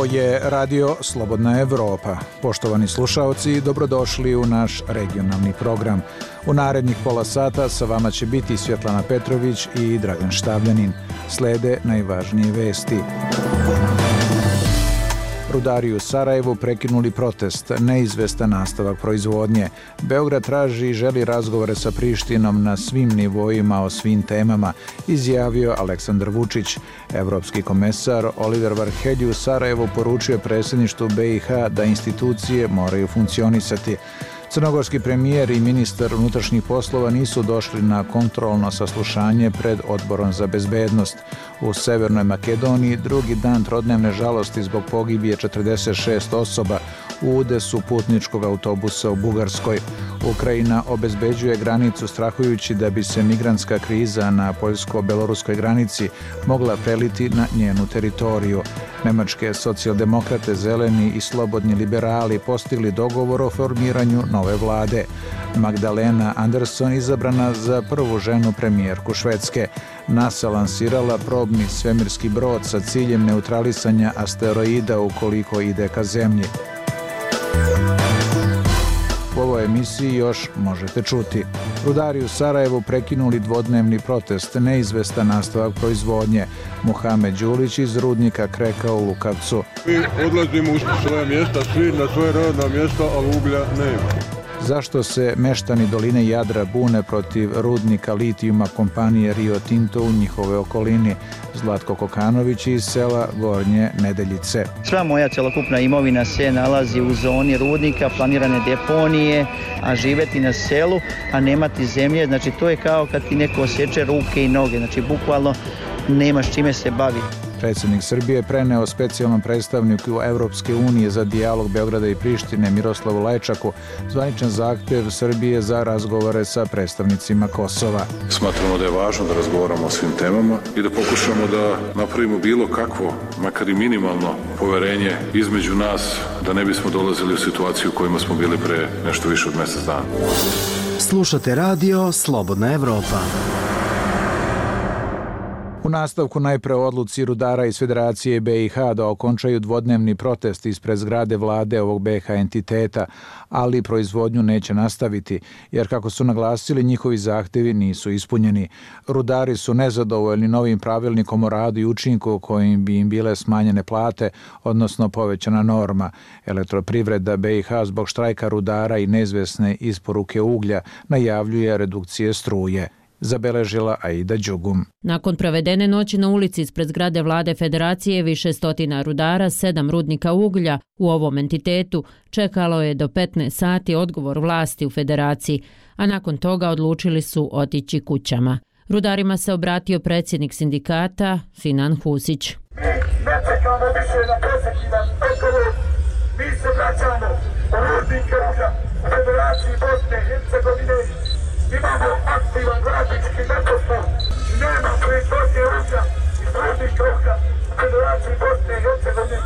Ovo je Radio Slobodna Evropa. Poštovani slušaoci, dobrodošli u naš regionalni program. U narednih pola sata sa vama će biti Svjetlana Petrović i Dragan Štavljanin. Slede najvažnije vesti. Rudari u Sarajevu prekinuli protest, neizvestan nastavak proizvodnje. Beograd traži i želi razgovore sa Prištinom na svim nivoima o svim temama, izjavio Aleksandar Vučić. Evropski komesar Oliver Varhelji u Sarajevu poručio predsjedništvu BiH da institucije moraju funkcionisati. Crnogorski premijer i ministar unutrašnjih poslova nisu došli na kontrolno saslušanje pred Odborom za bezbednost. U Severnoj Makedoniji drugi dan trodnevne žalosti zbog pogibije 46 osoba u udesu putničkog autobusa u Bugarskoj. Ukrajina obezbeđuje granicu strahujući da bi se migrantska kriza na poljsko-beloruskoj granici mogla preliti na njenu teritoriju. Nemačke socijaldemokrate, zeleni i slobodni liberali postigli dogovor o formiranju nove vlade. Magdalena Andersson izabrana za prvu ženu premijerku Švedske. NASA lansirala probni svemirski brod sa ciljem neutralisanja asteroida ukoliko ide ka zemlji. U ovoj emisiji još možete čuti. Rudari u Sarajevu prekinuli dvodnevni protest, neizvestan nastavak proizvodnje. Muhamed Đulić iz rudnika Kreka u Lukavcu. Mi odlazimo u svoje mjesta, svi na svoje radna mjesta, ali uglja nema. Zašto se meštani doline Jadra bune protiv rudnika litijuma kompanije Rio Tinto u njihove okolini? Zlatko Kokanović iz sela Gornje Nedeljice. Sva moja celokupna imovina se nalazi u zoni rudnika, planirane deponije, a živeti na selu, a nemati zemlje, znači to je kao kad ti neko osječe ruke i noge, znači bukvalno nemaš čime se baviti. Predsjednik Srbije preneo specijalnom predstavniku Evropske unije za dijalog Beograda i Prištine Miroslavu Lajčaku zvaničan zahtjev Srbije za razgovore sa predstavnicima Kosova. Smatramo da je važno da razgovaramo o svim temama i da pokušamo da napravimo bilo kakvo, makar i minimalno poverenje između nas, da ne bismo dolazili u situaciju u kojima smo bili pre nešto više od mjesec dana. Slušate Radio Slobodna Evropa. U nastavku najpre odluci rudara iz Federacije BiH da okončaju dvodnevni protest ispred zgrade vlade ovog BiH entiteta, ali proizvodnju neće nastaviti, jer kako su naglasili, njihovi zahtjevi nisu ispunjeni. Rudari su nezadovoljni novim pravilnikom o radu i učinku kojim bi im bile smanjene plate, odnosno povećana norma. Elektroprivreda BiH zbog štrajka rudara i neizvesne isporuke uglja najavljuje redukcije struje. Zabeležila Aida Đugum. Nakon provedene noći na ulici ispred zgrade vlade Federacije, više stotina rudara, 7 rudnika uglja u ovom entitetu čekalo je do 15 sati odgovor vlasti u Federaciji, a nakon toga odlučili su otići kućama. Rudarima se obratio predsjednik sindikata Sinan Husić. Mi ne čekamo više na presekivan odgovor, mi se vraćamo u rudnike uglja u Federaciji Bosne i Hercegovine. Imamo aktivan radnički nepostup, nema proizvodnje uglja i rudnika uglja u Federaciji Bosne i Hercegovine.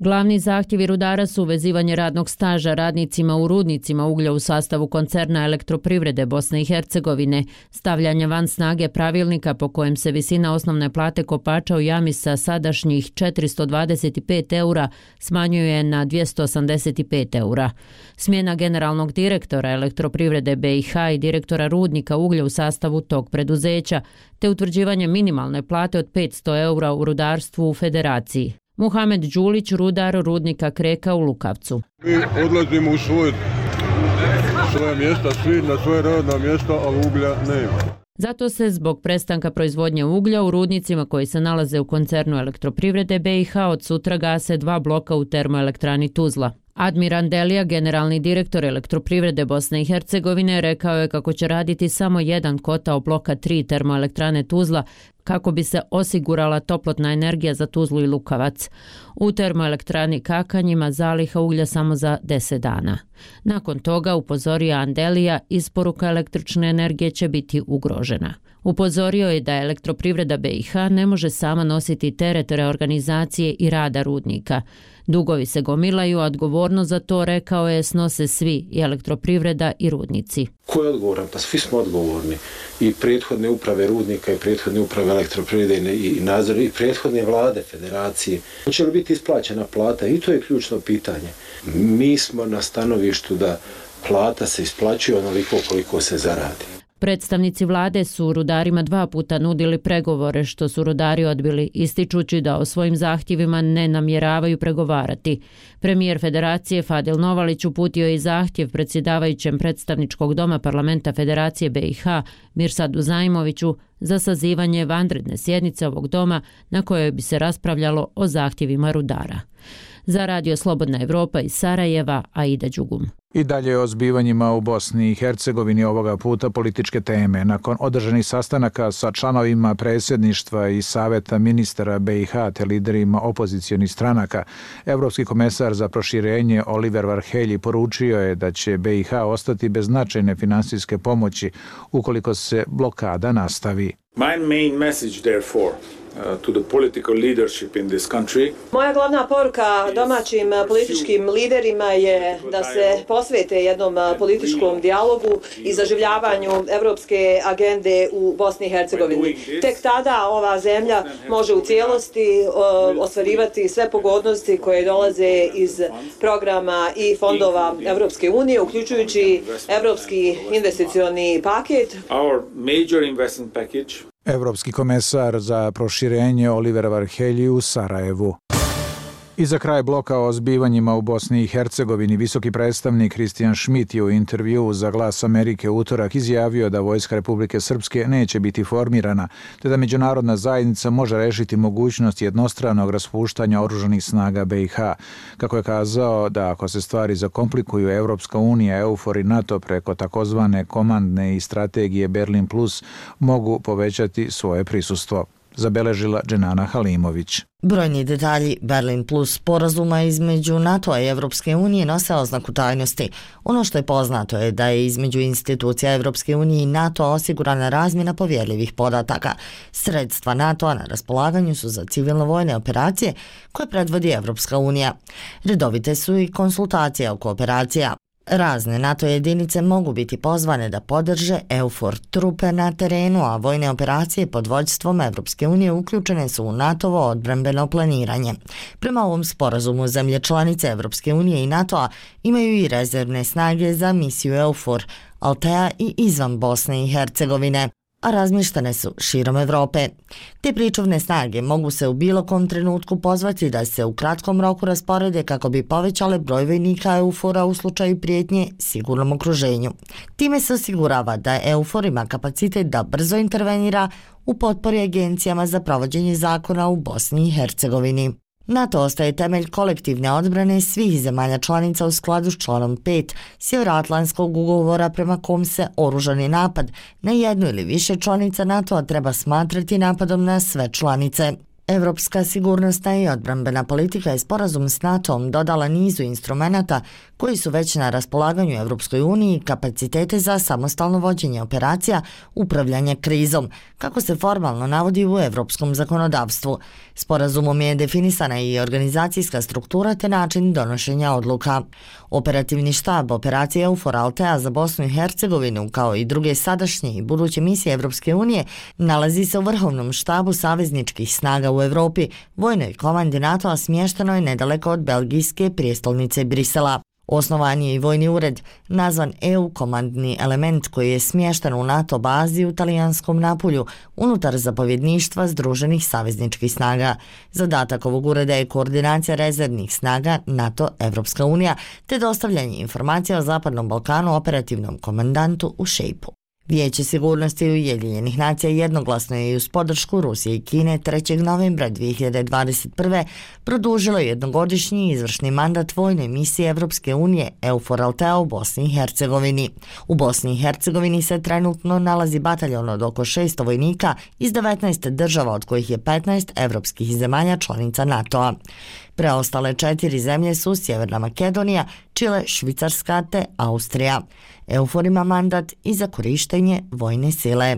Glavni zahtjevi rudara su uvezivanje radnog staža radnicima u rudnicima uglja u sastavu koncerna Elektroprivrede Bosne i Hercegovine, stavljanje van snage pravilnika po kojem se visina osnovne plate kopača u jami sa sadašnjih 425 eura smanjuje na 285 eura. Smjena generalnog direktora Elektroprivrede BiH i direktora rudnika uglja u sastavu tog preduzeća, te utvrđivanje minimalne plate od 500 eura u rudarstvu u Federaciji. Muhamed Đulić, rudar rudnika Kreka u Lukavcu. Mi odlazimo u svoje mjesta, svi na svoje radna mjesta, ali uglja nema. Zato se zbog prestanka proizvodnje uglja u rudnicima koji se nalaze u koncernu Elektroprivrede BiH od sutra gase 2 bloka u termoelektrani Tuzla. Admir Andelija, generalni direktor Elektroprivrede Bosne i Hercegovine, rekao je kako će raditi samo jedan kotao bloka 3 termoelektrane Tuzla kako bi se osigurala toplotna energija za Tuzlu i Lukavac. U termoelektrani Kakanj ima zaliha uglja samo za 10 dana. Nakon toga, upozorio Andelija, isporuka električne energije će biti ugrožena. Upozorio je da Elektroprivreda BiH ne može sama nositi teret reorganizacije i rada rudnika. Dugovi se gomilaju, a odgovornost za to, rekao je, snose svi, i elektroprivreda i rudnici. Ko je odgovoran? Pa svi smo odgovorni. I prethodne uprave rudnika, i prethodne uprave elektroprivrede, i nadzor, i prethodne vlade, federacije. Hoće li biti isplaćena plata? I to je ključno pitanje. Mi smo na stanovištu da plata se isplaćuje onoliko koliko se zaradi. Predstavnici vlade su rudarima 2 puta nudili pregovore, što su rudari odbili, ističući da o svojim zahtjevima ne namjeravaju pregovarati. Premijer Federacije Fadil Novalić uputio je i zahtjev predsjedavajućem predstavničkog doma parlamenta Federacije BiH Mirsadu Zajmoviću za sazivanje vanredne sjednice ovog doma na kojoj bi se raspravljalo o zahtjevima rudara. Za Radio Slobodna Evropa iz Sarajeva, Aida Đugum. I dalje o zbivanjima u Bosni i Hercegovini, ovoga puta političke teme. Nakon održanih sastanaka sa članovima predsjedništva i saveta ministara BiH te liderima opozicionih stranaka, Evropski komesar za proširenje Oliver Varhelyi poručio je da će BiH ostati bez značajne finansijske pomoći ukoliko se blokada nastavi. My main message therefore to the political leadership in this country. Moja glavna poruka domaćim političkim liderima je da se posvete jednom političkom dijalogu i zaživljavanju evropske agende u Bosni i Hercegovini. Tek tada ova zemlja može u cijelosti ostvarivati sve pogodnosti koje dolaze iz programa i fondova Evropske unije, uključujući Evropski investicioni paket. Our major investment package. Evropski komesar za proširenje Oliver Varhelyi u Sarajevu. I za kraj bloka o zbivanjima u Bosni i Hercegovini, visoki predstavnik Christian Schmidt je u intervjuu za Glas Amerike utorak izjavio da Vojska Republike Srpske neće biti formirana, te da međunarodna zajednica može rešiti mogućnost jednostranog raspuštanja oružanih snaga BiH. Kako je kazao da ako se stvari zakomplikuju, Evropska unija, EUFOR i NATO preko takozvane komandne i strategije Berlin Plus mogu povećati svoje prisustvo. Zabeležila Dženana Halimović. Brojni detalji Berlin Plus sporazuma između NATO-a i Evropske unije nose oznaku tajnosti. Ono što je poznato je da je između institucija Evropske unije i NATO-a osigurana razmjena povjerljivih podataka. Sredstva NATO-a na raspolaganju su za civilno-vojne operacije koje predvodi Evropska unija. Redovite su i konsultacije oko operacija. Razne NATO jedinice mogu biti pozvane da podrže EUFOR trupe na terenu, a vojne operacije pod vođstvom Evropske unije uključene su u NATO-ovo odbrambeno planiranje. Prema ovom sporazumu, zemlje članice Evropske unije i NATO-a imaju i rezervne snage za misiju EUFOR, Altea i izvan Bosne i Hercegovine, a razmještene su širom Evrope. Te pričuvne snage mogu se u bilo kom trenutku pozvati da se u kratkom roku rasporede kako bi povećale broj vojnika EUFOR-a u slučaju prijetnje sigurnom okruženju. Time se osigurava da EUFOR ima kapacitet da brzo intervenira u potpori agencijama za provođenje zakona u Bosni i Hercegovini. NATO ostaje temelj kolektivne odbrane svih zemalja članica u skladu s članom 5 Sjevernoatlantskog ugovora prema kom se oružani napad na jednu ili više članica NATO-a treba smatrati napadom na sve članice. Evropska sigurnosna i odbrambena politika je sporazum s NATO-om dodala nizu instrumenata koji su već na raspolaganju Evropskoj uniji kapacitete za samostalno vođenje operacija, upravljanje krizom, kako se formalno navodi u evropskom zakonodavstvu. Sporazumom je definisana i organizacijska struktura te način donošenja odluka. Operativni štab operacije EUFOR Altea za Bosnu i Hercegovinu, kao i druge sadašnje i buduće misije Evropske unije, nalazi se u vrhovnom štabu savezničkih snaga u Evropi, vojnoj komandi NATO-a smješteno je nedaleko od belgijske prijestolnice Brisela. Osnovan je i vojni ured, nazvan EU komandni element, koji je smješten u NATO bazi u talijanskom Napulju, unutar zapovjedništva Združenih savezničkih snaga. Zadatak ovog ureda je koordinacija rezervnih snaga NATO-Evropska unija, te dostavljanje informacija o Zapadnom Balkanu operativnom komandantu u Šejpu. Vijeće sigurnosti Ujedinjenih nacija jednoglasno je uz podršku Rusije i Kine 3. novembra 2021. produžilo jednogodišnji izvršni mandat vojne misije Evropske unije EUFOR Altea u Bosni i Hercegovini. U Bosni i Hercegovini se trenutno nalazi bataljon od oko 600 vojnika iz 19 država, od kojih je 15 evropskih zemalja članica NATO-a. Preostale 4 zemlje su Sjeverna Makedonija, Čile, Švicarska te Austrija. EUFOR ima mandat i za korištenje vojne sile.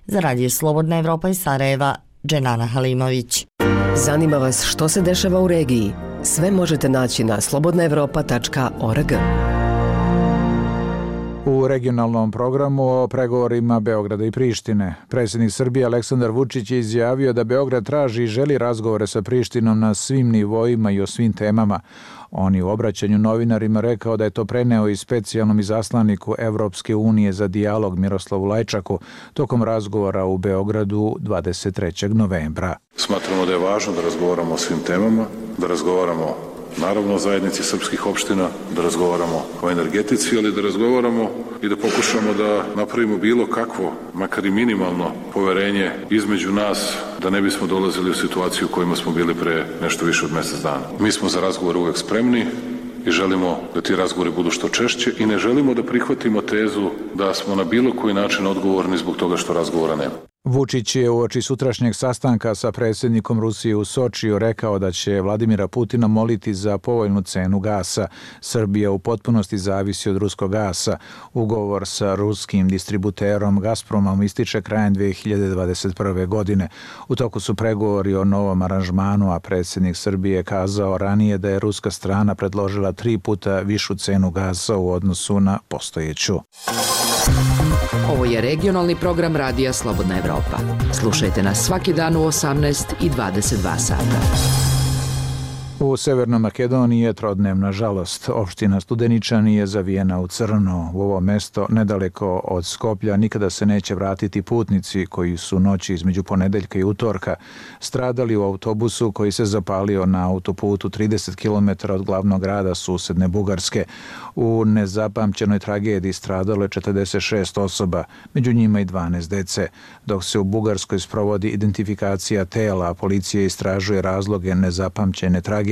Za Radio Slobodna Evropa iz Sarajeva, Dženana Halimović. Zanima vas što se dešava u regiji? Sve možete naći na slobodnaevropa.org. U regionalnom programu o pregovorima Beograda i Prištine. Predsjednik Srbije Aleksandar Vučić je izjavio da Beograd traži i želi razgovore sa Prištinom na svim nivoima i o svim temama. On je u obraćanju novinarima rekao da je to preneo i specijalnom izaslaniku Evropske unije za dijalog Miroslavu Lajčaku tokom razgovora u Beogradu 23. novembra. Smatramo da je važno da razgovaramo o svim temama, da razgovaramo naravno o zajednici srpskih opština, da razgovaramo o energetici, ali da razgovaramo i da pokušamo da napravimo bilo kakvo, makar i minimalno poverenje između nas, da ne bismo dolazili u situaciju u kojima smo bili pre nešto više od mjesec dana. Mi smo za razgovor uvek spremni i želimo da ti razgovori budu što češće i ne želimo da prihvatimo tezu da smo na bilo koji način odgovorni zbog toga što razgovora nema. Vučić je uoči sutrašnjeg sastanka sa predsjednikom Rusije u Sočiju rekao da će Vladimira Putina moliti za povoljnu cenu gasa. Srbija u potpunosti zavisi od ruskog gasa. Ugovor sa ruskim distributerom Gazpromom ističe krajem 2021. godine. U toku su pregovori o novom aranžmanu, a predsjednik Srbije je kazao ranije da je ruska strana predložila 3 puta višu cenu gasa u odnosu na postojeću. Ovo je regionalni program Radija Slobodna Evropa. Slušajte nas svaki dan u 18 i 22 sata. U Severnoj Makedoniji je trodnevna žalost. Opština Studeničani je zavijena u crno. U ovo mesto, nedaleko od Skoplja, nikada se neće vratiti putnici koji su noći između ponedeljka i utorka stradali u autobusu koji se zapalio na autoputu 30 km od glavnog grada susedne Bugarske. U nezapamćenoj tragediji stradalo je 46 osoba, među njima i 12 dece. Dok se u Bugarskoj sprovodi identifikacija tela, a policija istražuje razloge nezapamćene tragedije,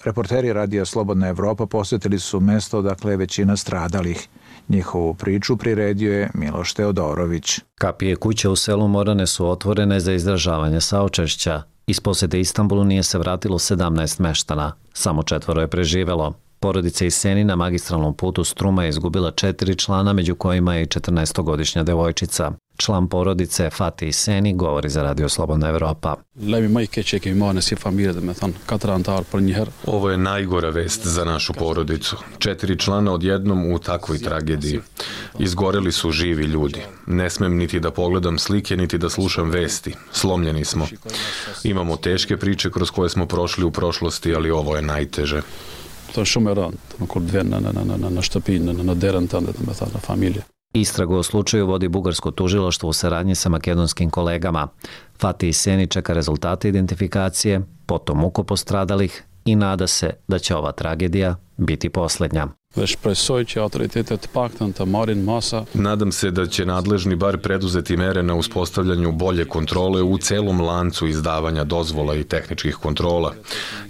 reporteri Radija Slobodna Evropa posjetili su mesto odakle je većina stradalih. Njihovu priču priredio je Miloš Teodorović. Kapije kuće u selu Morane su otvorene za izražavanje saučešća. Iz posjete Istanbulu nije se vratilo 17 meštana. Samo 4 je preživelo. Porodica iz Seni na magistralnom putu Struma je izgubila 4 člana, među kojima je i 14-godišnja devojčica. Član porodice Fatih Seni govori za Radio Slobodna Evropa. Ovo je najgora vest za našu porodicu. 4 člana odjednom u takvoj tragediji. Izgoreli su živi ljudi. Ne smem niti da pogledam slike, niti da slušam vesti. Slomljeni smo. Imamo teške priče kroz koje smo prošli u prošlosti, ali ovo je najteže. Istragu o slučaju vodi bugarsko tužilaštvo u saradnji sa makedonskim kolegama. Fatih Seni čeka rezultate identifikacije, potom muko postradalih i nada se da će ova tragedija biti posljednja. Nadam se da će nadležni bar preduzeti mere na uspostavljanju bolje kontrole u celom lancu izdavanja dozvola i tehničkih kontrola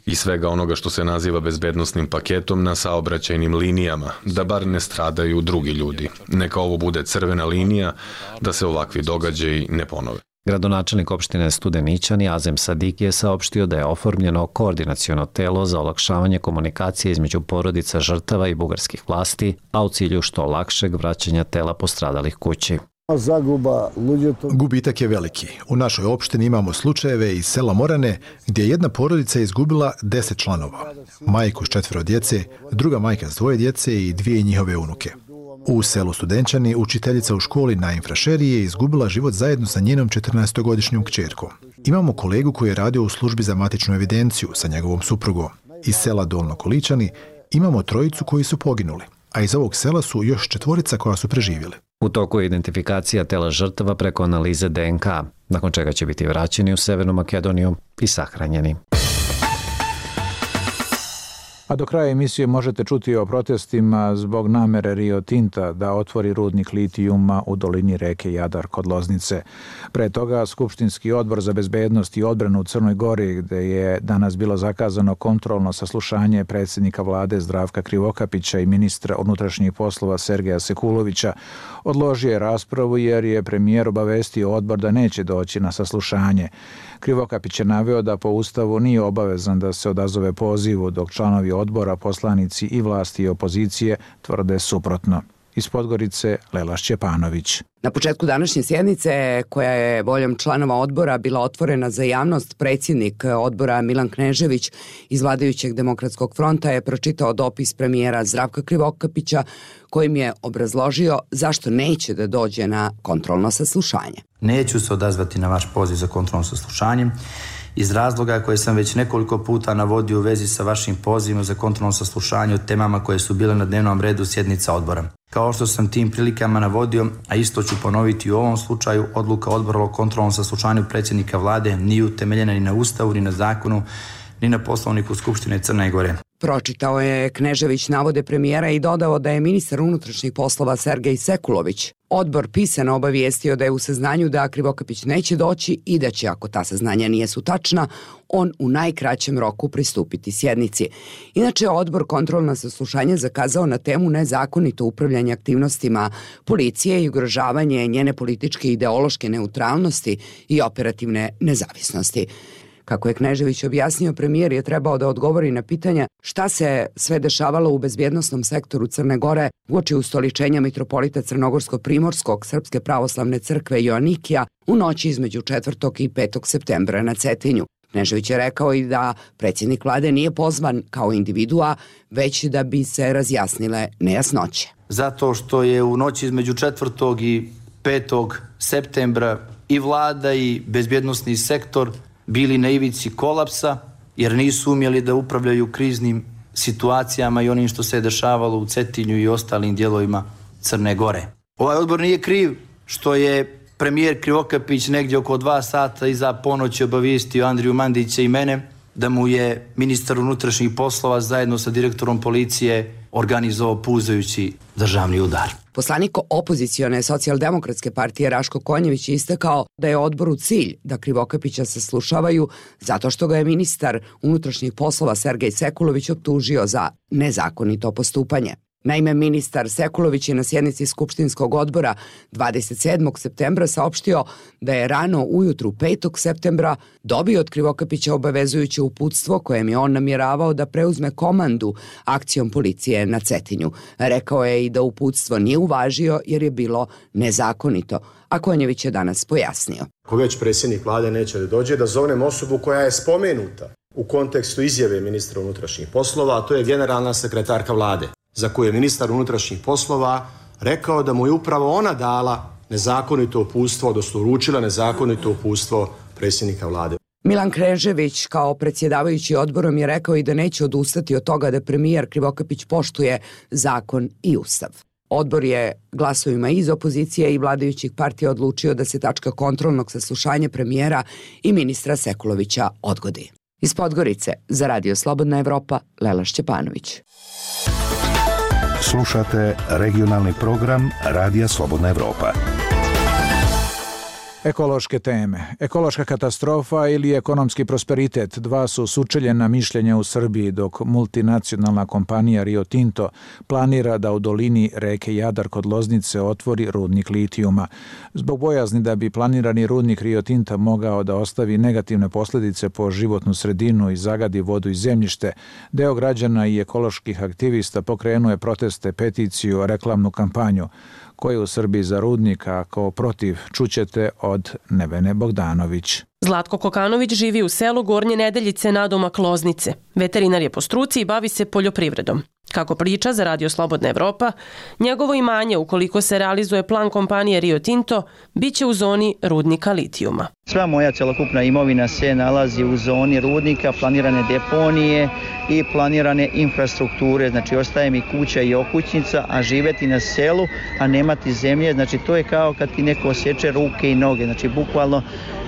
i svega onoga što se naziva bezbednosnim paketom na saobraćajnim linijama, da bar ne stradaju drugi ljudi. Neka ovo bude crvena linija da se ovakvi događaji ne ponove. Gradonačelnik opštine Studeničani Azem Sadiki je saopštio da je oformljeno koordinaciono telo za olakšavanje komunikacije između porodica žrtava i bugarskih vlasti, a u cilju što lakšeg vraćanja tela postradalih kući. Gubitak je veliki. U našoj opštini imamo slučajeve iz sela Morane gdje je jedna porodica izgubila 10 članova. Majku s 4 djece, druga majka s 2 djece i 2 njihove unuke. U selu Studenčani učiteljica u školi na infrašeriji je izgubila život zajedno sa njenom 14-godišnjom kćerkom. Imamo kolegu koji je radio u službi za matičnu evidenciju sa njegovom suprugom. Iz sela Dolno Količani imamo 3 koji su poginuli, a iz ovog sela su još 4 koja su preživjeli. U toku je identifikacija tela žrtava preko analize DNK, nakon čega će biti vraćeni u Severnu Makedoniju i sahranjeni. A do kraja emisije možete čuti o protestima zbog namere Rio Tinta da otvori rudnik litijuma u dolini reke Jadar kod Loznice. Pre toga Skupštinski odbor za bezbednost i odbranu u Crnoj Gori, gde je danas bilo zakazano kontrolno saslušanje predsjednika vlade Zdravka Krivokapića i ministra unutrašnjih poslova Sergeja Sekulovića, odložio je raspravu jer je premijer obavestio odbor da neće doći na saslušanje. Krivokapić je naveo da po Ustavu nije obavezan da se odazove pozivu, dok članovi odbora, poslanici i vlasti i opozicije tvrde suprotno. Iz Podgorice Lela Šćepanović. Na početku današnje sjednice, koja je voljom članova odbora bila otvorena za javnost, predsjednik odbora Milan Knežević iz vladajućeg Demokratskog fronta je pročitao dopis premijera Zdravka Krivokapića kojim je obrazložio zašto neće da dođe na kontrolno saslušanje. Neću se odazvati na vaš poziv za kontrolno saslušanje iz razloga koje sam već nekoliko puta navodio u vezi sa vašim pozivom za kontrolno saslušanje o temama koje su bile na dnevnom redu sjednica odbora. Kao što sam tim prilikama navodio, a isto ću ponoviti u ovom slučaju, odluka odbora o kontrolnom saslušanju predsjednika vlade nije utemeljena ni na Ustavu, ni na zakonu, ni na Poslovniku Skupštine Crne Gore. Pročitao je Knežević navode premijera i dodao da je ministar unutrašnjih poslova Sergej Sekulović odbor pisano obavijestio da je u saznanju da Krivokapić neće doći i da će, ako ta saznanja nisu tačna, on u najkraćem roku pristupiti sjednici. Inače, odbor kontrolno saslušanje zakazao na temu nezakonito upravljanje aktivnostima policije i ugrožavanje njene političke i ideološke neutralnosti i operativne nezavisnosti. Kako je Knežević objasnio, premijer je trebao da odgovori na pitanja šta se sve dešavalo u bezbjednosnom sektoru Crne Gore uoči ustoličenja mitropolita Crnogorsko-Primorskog Srpske pravoslavne crkve Joanikija u noći između 4. i 5. septembra na Cetinju. Knežević je rekao i da predsjednik vlade nije pozvan kao individua, već da bi se razjasnile nejasnoće. Zato što je u noći između 4. i 5. septembra i vlada i bezbjednosni sektor bili na ivici kolapsa jer nisu umjeli da upravljaju kriznim situacijama i onim što se je dešavalo u Cetinju i ostalim dijelovima Crne Gore. Ovaj odbor nije kriv što je premijer Krivokapić negdje oko 2 sata iza ponoći obavijestio Andriju Mandića i mene da mu je ministar unutrašnjih poslova zajedno sa direktorom policije organizovao puzajući državni udar. Poslanik opozicione socijaldemokratske partije Raško Konjević je istakao da je odboru cilj da Krivokapića saslušavaju zato što ga je ministar unutrašnjih poslova Sergej Sekulović optužio za nezakonito postupanje. Naime, ministar Sekulović je na sjednici Skupštinskog odbora 27. septembra saopštio da je rano ujutru 5. septembra dobio od Krivokapića obavezujuće uputstvo kojem je on namjeravao da preuzme komandu akcijom policije na Cetinju. Rekao je i da uputstvo nije uvažio jer je bilo nezakonito, a Konjević je danas pojasnio. Ako već predsjednik vlade neće da dođe, da zovnem osobu koja je spomenuta u kontekstu izjave ministra unutrašnjih poslova, a to je generalna sekretarka vlade, za koju je ministar unutrašnjih poslova rekao da mu je upravo ona dala nezakonito uputstvo, odnosno uručila nezakonito uputstvo predsjednika vlade. Milan Knežević kao predsjedavajući odborom je rekao i da neće odustati od toga da premijer Krivokapić poštuje zakon i ustav. Odbor je glasovima iz opozicije i vladajućih partija odlučio da se tačka kontrolnog saslušanja premijera i ministra Sekulovića odgodi. Iz Podgorice za Radio Slobodna Evropa, Lela Šćepanović. Slušate regionalni program Radija Slobodna Evropa. Ekološke teme. Ekološka katastrofa ili ekonomski prosperitet, dva su sučeljena mišljenja u Srbiji, dok multinacionalna kompanija Rio Tinto planira da u dolini reke Jadar kod Loznice otvori rudnik litijuma. Zbog bojazni da bi planirani rudnik Rio Tinta mogao da ostavi negativne posljedice po životnu sredinu i zagadi vodu i zemljište, deo građana i ekoloških aktivista pokrenuje proteste, peticiju, reklamnu kampanju. Ko je u Srbiji za rudnik, a ko protiv, čućete od Nevene Bogdanović. Zlatko Kokanović živi u selu Gornje Nedeljice nadomak Loznice. Veterinar je po struci i bavi se poljoprivredom. Kako priča za Radio Slobodna Evropa, njegovo imanje, ukoliko se realizuje plan kompanije Rio Tinto, bit će u zoni rudnika litijuma. Sva moja celokupna imovina se nalazi u zoni rudnika, planirane deponije i planirane infrastrukture. Znači, ostaje mi kuća i okućnica, a živeti na selu, a nemati zemlje, znači to je kao kad ti neko osječe ruke i noge. Znači, bukvalno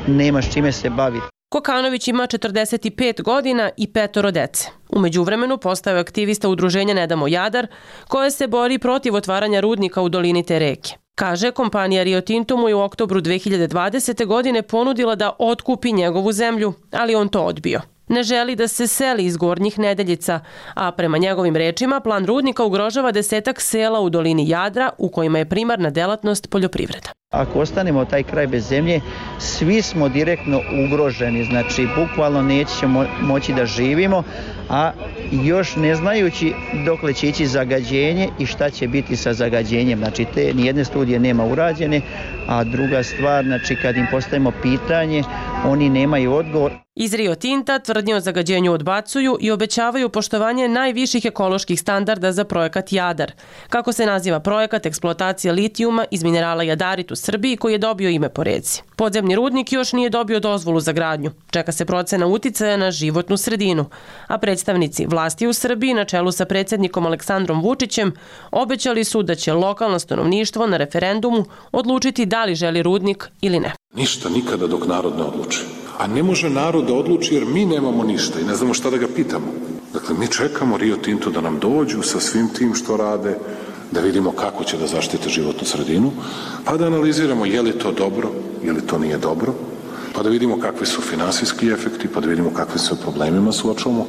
nemaš čime se baviti. Kokanović ima 45 godina i 5 dece. U međuvremenu postao je aktivista udruženja Ne damo Jadar, koje se bori protiv otvaranja rudnika u dolini te reke. Kaže, kompanija Rio Tinto mu je u oktobru 2020. godine ponudila da otkupi njegovu zemlju, ali on to odbio. Ne želi da se seli iz Gornjih Nedeljica, a prema njegovim rečima plan rudnika ugrožava 10 sela u dolini Jadra u kojima je primarna delatnost poljoprivreda. Ako ostanemo taj kraj bez zemlje, svi smo direktno ugroženi, znači bukvalno nećemo moći da živimo, a još ne znajući dokle će ići zagađenje i šta će biti sa zagađenjem. Znači te nijedne studije nema urađene, a druga stvar, znači kad im postavimo pitanje, oni nemaju odgovor. Iz Rio Tinta tvrdnje o zagađenju odbacuju i obećavaju poštovanje najviših ekoloških standarda za projekat Jadar. Kako se naziva projekat eksploatacije litijuma iz minerala jadarit u Srbiji koji je dobio ime po reci. Podzemni rudnik još nije dobio dozvolu za gradnju. Čeka se procena uticaja na životnu sredinu. A predstavnici vlasti u Srbiji na čelu sa predsjednikom Aleksandrom Vučićem obećali su da će lokalno stanovništvo na referendumu odlučiti da li želi rudnik ili ne. Ništa nikada dok narod ne odluči. A ne može narod da odluči jer mi nemamo ništa i ne znamo šta da ga pitamo. Dakle, mi čekamo Rio Tinto da nam dođu sa svim tim što rade, da vidimo kako će da zaštite životnu sredinu, pa da analiziramo je li to dobro, je li to nije dobro, pa da vidimo kakvi su finansijski efekti, pa da vidimo kakvi se problemima suočavamo.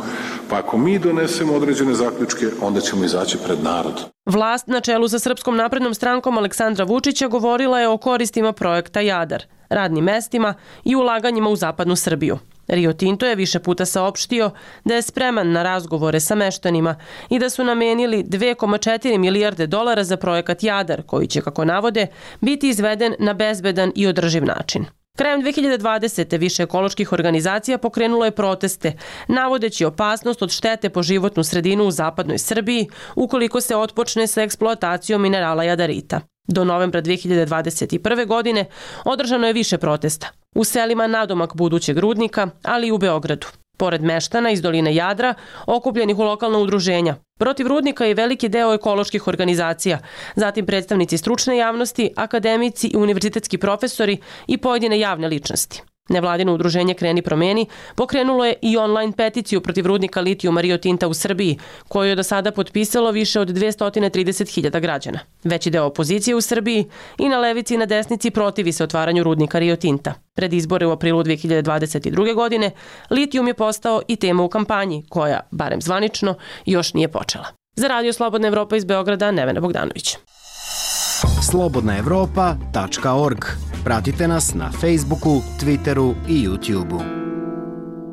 Pa ako mi donesemo određene zaključke, onda ćemo izaći pred narod. Vlast na čelu sa Srpskom naprednom strankom Aleksandra Vučića govorila je o koristima projekta Jadar, radnim mestima i ulaganjima u zapadnu Srbiju. Rio Tinto je više puta saopštio da je spreman na razgovore sa meštanima i da su namenili 2,4 milijarde dolara za projekat Jadar, koji će, kako navode, biti izveden na bezbedan i održiv način. Krajem 2020. više ekoloških organizacija pokrenulo je proteste, navodeći opasnost od štete po životnu sredinu u zapadnoj Srbiji ukoliko se otpočne sa eksploatacijom minerala jadarita. Do novembra 2021. godine održano je više protesta u selima nadomak budućeg rudnika, ali i u Beogradu. Pored meštana iz doline Jadra, okupljenih u lokalna udruženja. Protiv rudnika je veliki deo ekoloških organizacija, zatim predstavnici stručne javnosti, akademici i univerzitetski profesori i pojedine javne ličnosti. Nevladino udruženje Kreni promeni pokrenulo je i online peticiju protiv rudnika litijuma Rio Tinta u Srbiji, koju je do sada potpisalo više od 230.000 građana. Veći deo opozicije u Srbiji i na levici i na desnici protivi se otvaranju rudnika Rio Tinta. Pred izbore u aprilu 2022. godine litijum je postao i tema u kampanji, koja, barem zvanično, još nije počela. Za Radio Slobodna Evropa iz Beograda, Nevena Bogdanović. slobodnaevropa.org. Pratite nas na Facebooku, Twitteru i YouTubeu.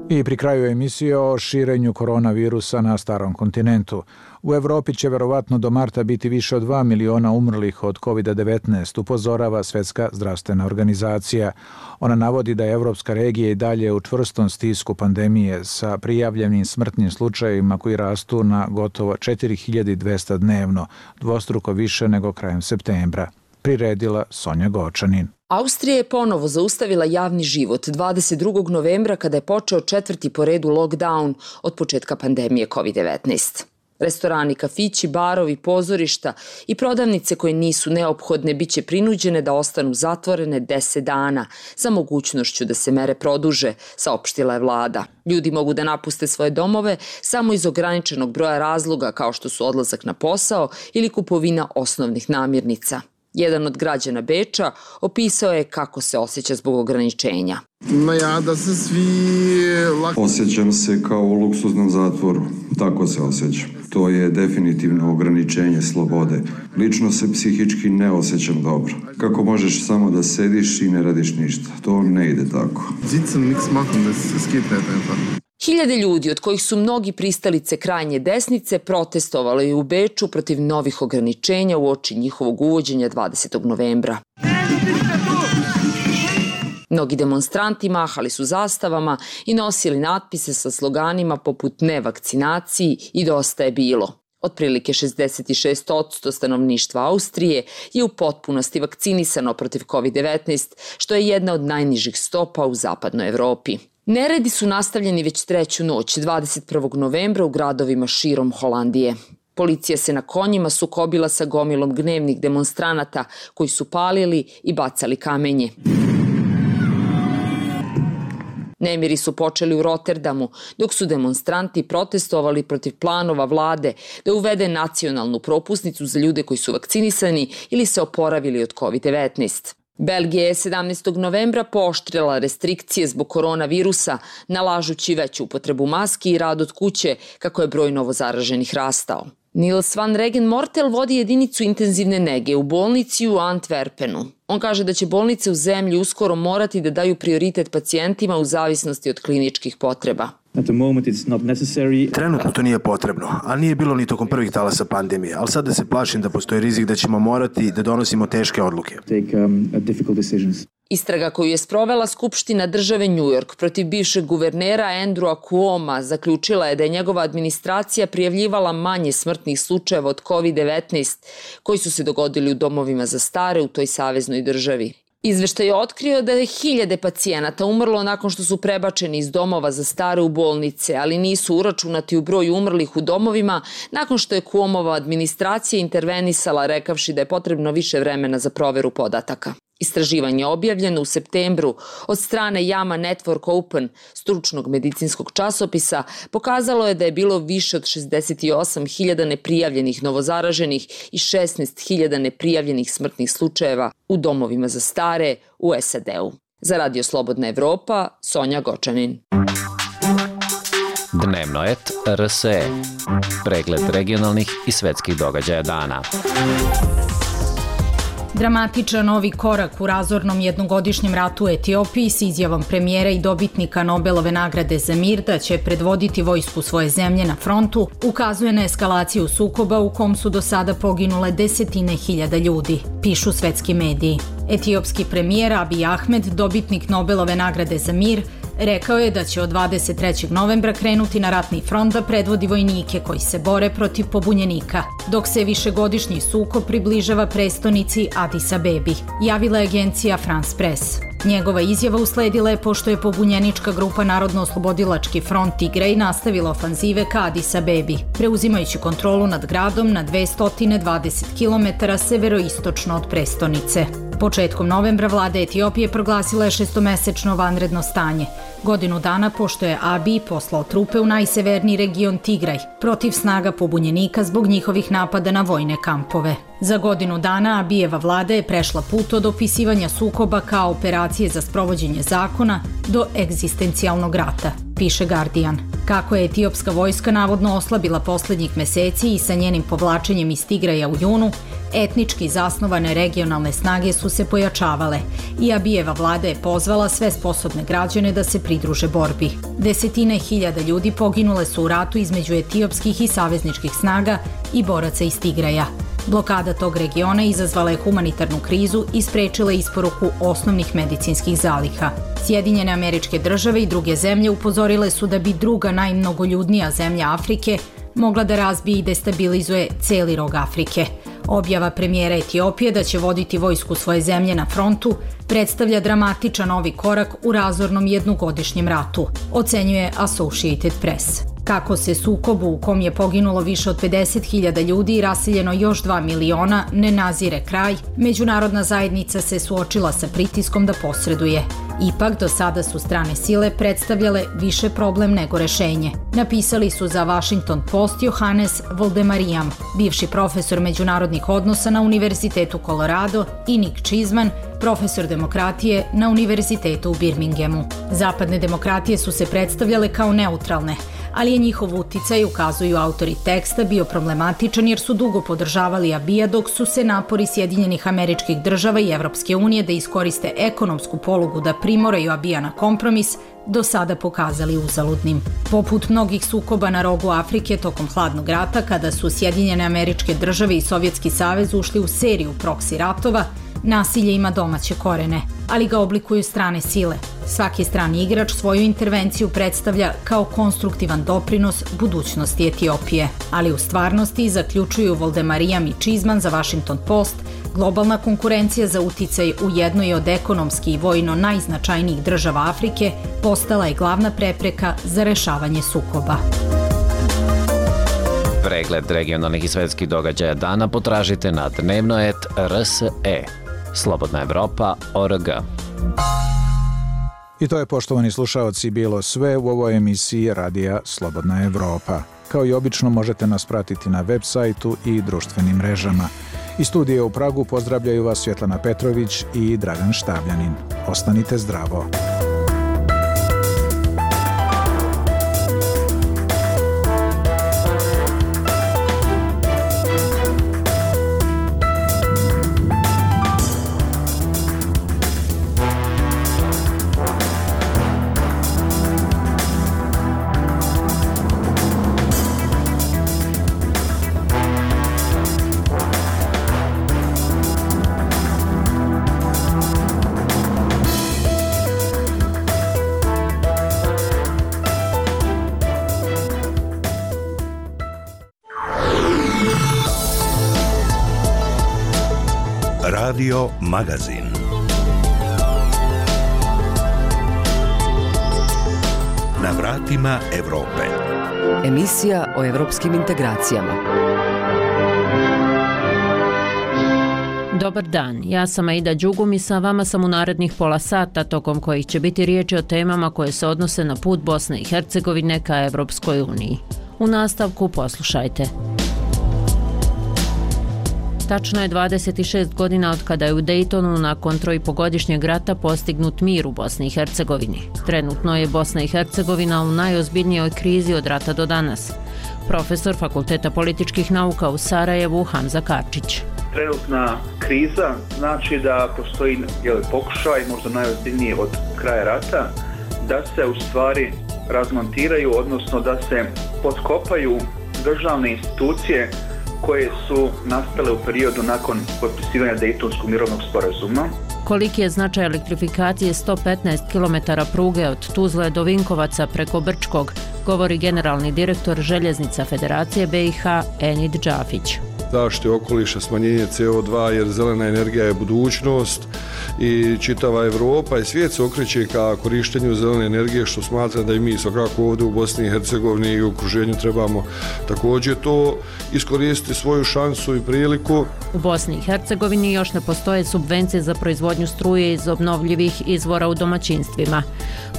I pri kraju emisije o širenju koronavirusa na starom kontinentu. U Evropi će verovatno do marta biti više od 2 miliona umrlih od COVID-19, upozorava Svetska zdravstvena organizacija. Ona navodi da je evropska regija i dalje u čvrstom stisku pandemije sa prijavljenim smrtnim slučajevima koji rastu na gotovo 4200 dnevno, dvostruko više nego krajem septembra. Priredila Sonja Gočanin. Austrija je ponovo zaustavila javni život 22. novembra kada je počeo 4. po redu lockdown od početka pandemije COVID-19. Restorani, kafići, barovi, pozorišta i prodavnice koje nisu neophodne biće prinuđene da ostanu zatvorene 10 dana sa mogućnošću da se mere produže, saopštila je vlada. Ljudi mogu da napuste svoje domove samo iz ograničenog broja razloga kao što su odlazak na posao ili kupovina osnovnih namirnica. Jedan od građana Beča opisao je kako se osjeća zbog ograničenja. Osjećam se kao u luksuznom zatvoru, tako se osjećam. To je definitivno ograničenje slobode. Lično se psihički ne osjećam dobro. Kako možeš samo da sediš i ne radiš ništa? To ne ide tako. Hiljade ljudi, od kojih su mnogi pristalice krajnje desnice, protestovalo je u Beču protiv novih ograničenja uoči njihovog uvođenja 20. novembra. Mnogi demonstranti mahali su zastavama i nosili natpise sa sloganima poput "Ne vakcinaciji" i "Dosta je bilo". Otprilike 66% stanovništva Austrije je u potpunosti vakcinisano protiv COVID-19, što je jedna od najnižih stopa u zapadnoj Evropi. Neredi su nastavljeni već treću noć, 21. novembra, u gradovima širom Holandije. Policija se na konjima sukobila sa gomilom gnevnih demonstranata koji su palili i bacali kamenje. Nemiri su počeli u Rotterdamu, dok su demonstranti protestovali protiv planova vlade da uvede nacionalnu propusnicu za ljude koji su vakcinisani ili se oporavili od COVID-19. Belgija je 17. novembra pooštrila restrikcije zbog koronavirusa, nalažući veću upotrebu maski i rad od kuće, kako je broj novozaraženih rastao. Niels van Regen Mortel vodi jedinicu intenzivne nege u bolnici u Antwerpenu. On kaže da će bolnice u zemlji uskoro morati da daju prioritet pacijentima u zavisnosti od kliničkih potreba. Trenutno to nije potrebno, ali nije bilo ni tokom prvih talasa pandemije, ali sada se plašim da postoji rizik da ćemo morati da donosimo teške odluke. Istraga koju je sprovela Skupština države New York protiv bivšeg guvernera Andrewa Cuoma zaključila je da je njegova administracija prijavljivala manje smrtnih slučajeva od COVID-19 koji su se dogodili u domovima za stare u toj saveznoj državi. Izveštaj je otkrio da je 1000 pacijenata umrlo nakon što su prebačeni iz domova za stare u bolnice, ali nisu uračunati u broj umrlih u domovima nakon što je Cuomova administracija intervenisala rekavši da je potrebno više vremena za proveru podataka. Istraživanje objavljeno u septembru od strane JAMA Network Open, stručnog medicinskog časopisa, pokazalo je da je bilo više od 68.000 neprijavljenih novozaraženih i 16.000 neprijavljenih smrtnih slučajeva u domovima za stare u SAD-u. Za Radio Slobodna Evropa, Sonja Gočanin. Dnevno et RSE. Pregled regionalnih i svetskih događaja dana. Dramatičan novi korak u razornom jednogodišnjem ratu u Etiopiji s izjavom premijera i dobitnika Nobelove nagrade za mir da će predvoditi vojsku svoje zemlje na frontu ukazuje na eskalaciju sukoba u kom su do sada poginule desetine hiljada ljudi, pišu svetski mediji. Etiopski premijer Abiy Ahmed, dobitnik Nobelove nagrade za mir, rekao je da će od 23. novembra krenuti na ratni front da predvodi vojnike koji se bore protiv pobunjenika, dok se višegodišnji sukob približava prestonici Addis Abebi, javila je agencija France Press. Njegova izjava usledila je pošto je pobunjenička grupa Narodno-oslobodilački front Tigray nastavila ofanzive ka Addis Abebi, preuzimajući kontrolu nad gradom na 220 km severoistočno od prestonice. Početkom novembra vlada Etiopije proglasila je 6-mesečno vanredno stanje, godinu dana pošto je Abiy poslao trupe u najseverniji region Tigray protiv snaga pobunjenika zbog njihovih napada na vojne kampove. Za godinu dana Abijeva vlada je prešla put od opisivanja sukoba kao operacije za sprovođenje zakona do egzistencijalnog rata, piše Guardian. Kako je etiopska vojska navodno oslabila poslednjih meseci i sa njenim povlačenjem iz Tigraja u junu, etnički zasnovane regionalne snage su se pojačavale i Abijeva vlada je pozvala sve sposobne građane da se pridruže borbi. Desetine hiljada ljudi poginule su u ratu između etiopskih i savezničkih snaga i boraca iz Tigraja. Blokada tog regiona izazvala je humanitarnu krizu i sprečila isporuku osnovnih medicinskih zaliha. Sjedinjene Američke Države i druge zemlje upozorile su da bi druga najmnogoljudnija zemlja Afrike mogla da razbije i destabilizuje celi rog Afrike. Objava premijera Etiopije da će voditi vojsku svoje zemlje na frontu predstavlja dramatičan novi korak u razornom jednogodišnjem ratu, ocenjuje Associated Press. Kako se sukobu u kom je poginulo više od 50.000 ljudi i raseljeno još 2 miliona ne nazire kraj, međunarodna zajednica se suočila sa pritiskom da posreduje. Ipak, do sada su strane sile predstavljale više problem nego rešenje. Napisali su za Washington Post Johannes Voldemariam, bivši profesor međunarodnih odnosa na Univerzitetu Colorado, i Nick Cheeseman, profesor demokratije na Univerzitetu u Birminghamu. Zapadne demokratije su se predstavljale kao neutralne, ali je njihov uticaj, ukazuju autori teksta, bio problematičan jer su dugo podržavali Abija dok su se napori Sjedinjenih Američkih Država i Evropske unije da iskoriste ekonomsku polugu da primoraju Abija na kompromis do sada pokazali uzaludnim. Poput mnogih sukoba na rogu Afrike tokom hladnog rata, kada su Sjedinjene Američke Države i Sovjetski savez ušli u seriju proksi ratova, nasilje ima domaće korene, ali ga oblikuju strane sile. Svaki strani igrač svoju intervenciju predstavlja kao konstruktivan doprinos budućnosti Etiopije. Ali u stvarnosti, zaključuju Voldemariam i Cheeseman za Washington Post, globalna konkurencija za uticaj u jednoj od ekonomski i vojno najznačajnijih država Afrike postala je glavna prepreka za rešavanje sukoba. Pregled regionalnih i svetskih događaja dana potražite na dnevnoet.rse. Slobodna Evropa.org. I to je, poštovani slušaoci, bilo sve u ovoj emisiji Radija Slobodna Evropa. Kao i obično možete nas pratiti na web sajtu i društvenim mrežama. Iz studija u Pragu pozdravljaju vas Svjetlana Petrović i Dragan Štavljanin. Ostanite zdravo. Radio Magazin. Na vratima Evrope. Emisija o evropskim integracijama. Dobar dan, ja sam Aida Đugum i sa vama sam u narednih pola sata, tokom kojih će biti riječi o temama koje se odnose na put Bosne i Hercegovine ka Evropskoj uniji. U nastavku poslušajte. Tačno je 26 godina od kada je u Dejtonu nakon 3,5-godišnjeg rata postignut mir u Bosni i Hercegovini. Trenutno je Bosna i Hercegovina u najozbiljnijoj krizi od rata do danas. Profesor Fakulteta političkih nauka u Sarajevu Hamza Karčić. Trenutna kriza znači da postoji pokušaj, možda najozbiljniji od kraja rata, da se u stvari razmontiraju, odnosno da se potkopaju državne institucije koje su nastale u periodu nakon potpisivanja Dejtonskog mirovnog sporazuma. Koliki je značaj elektrifikacije 115 km pruge od Tuzle do Vinkovaca preko Brčkog, govori generalni direktor Željeznica Federacije BiH Enid Džafić. Zaštite okoliša, smanjenje CO2, jer zelena energija je budućnost i čitava Evropa i svijet se okreće ka korištenju zelene energije, što smatram da i mi svakako ovdje u Bosni i Hercegovini i u okruženju trebamo također to iskoristiti svoju šansu i priliku. U Bosni i Hercegovini još ne postoje subvencije za proizvodnju struje iz obnovljivih izvora u domaćinstvima.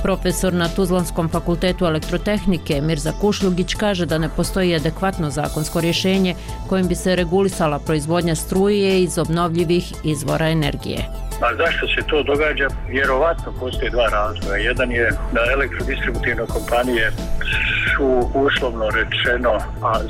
Profesor na Tuzlanskom fakultetu elektrotehnike Mirza Kušljugić kaže da ne postoji adekvatno zakonsko rješenje kojim bi se regulisala proizvodnja struje iz obnovljivih izvora energije. A zašto se to događa? Vjerovatno postoje dva razloga. Jedan je da elektrodistributivne kompanije su uslovno rečeno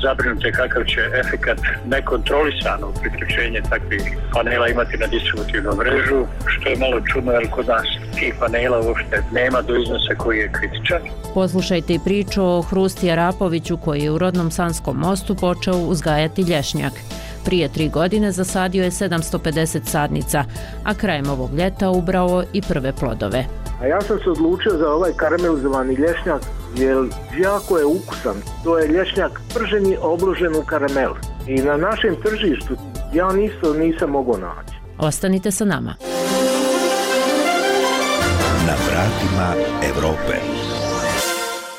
zabrinute kakav će efekat nekontrolisano priključenje takvih panela imati na distributivnu mrežu, što je malo čudno jer kod nas tih panela uopšte nema do iznosa koji je kritičan. Poslušajte i priču o Hrusti Arapoviću koji je u rodnom Sanskom Mostu počeo uzgajati lješnjak. Prije 3 godine zasadio je 750 sadnica, a krajem ovog ljeta ubrao i prve plodove. A ja sam se odlučio za ovaj karamelizovani lješnjak jer jako je ukusan. To je lješnjak prženi obložen u karamel. I na našem tržištu ja nisam mogao naći. Ostanite sa nama. Na vratima Evrope.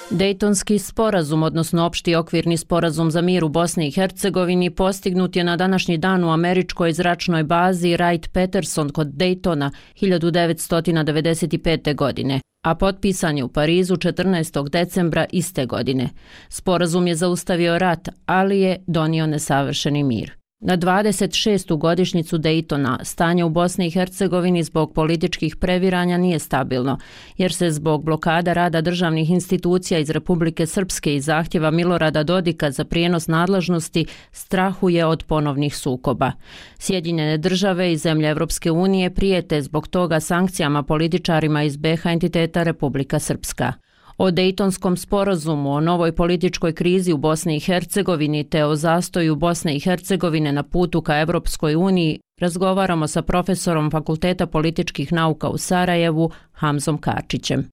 Dejtonski sporazum, odnosno opšti okvirni sporazum za mir u Bosni i Hercegovini, postignut je na današnji dan u američkoj zračnoj bazi Wright-Patterson kod Dejtona 1995. godine, a potpisan je u Parizu 14. decembra iste godine. Sporazum je zaustavio rat, ali je donio nesavršeni mir. Na 26. godišnjicu Dejtona stanje u Bosni i Hercegovini zbog političkih previranja nije stabilno, jer se zbog blokada rada državnih institucija iz Republike Srpske i zahtjeva Milorada Dodika za prijenos nadležnosti strahuje od ponovnih sukoba. Sjedinjene države i zemlje Evropske unije prijete zbog toga sankcijama političarima iz BiH entiteta Republika Srpska. O Dejtonskom sporazumu, o novoj političkoj krizi u Bosni i Hercegovini te o zastoju Bosne i Hercegovine na putu ka Evropskoj uniji razgovaramo sa profesorom Fakulteta političkih nauka u Sarajevu Hamzom Karčićem.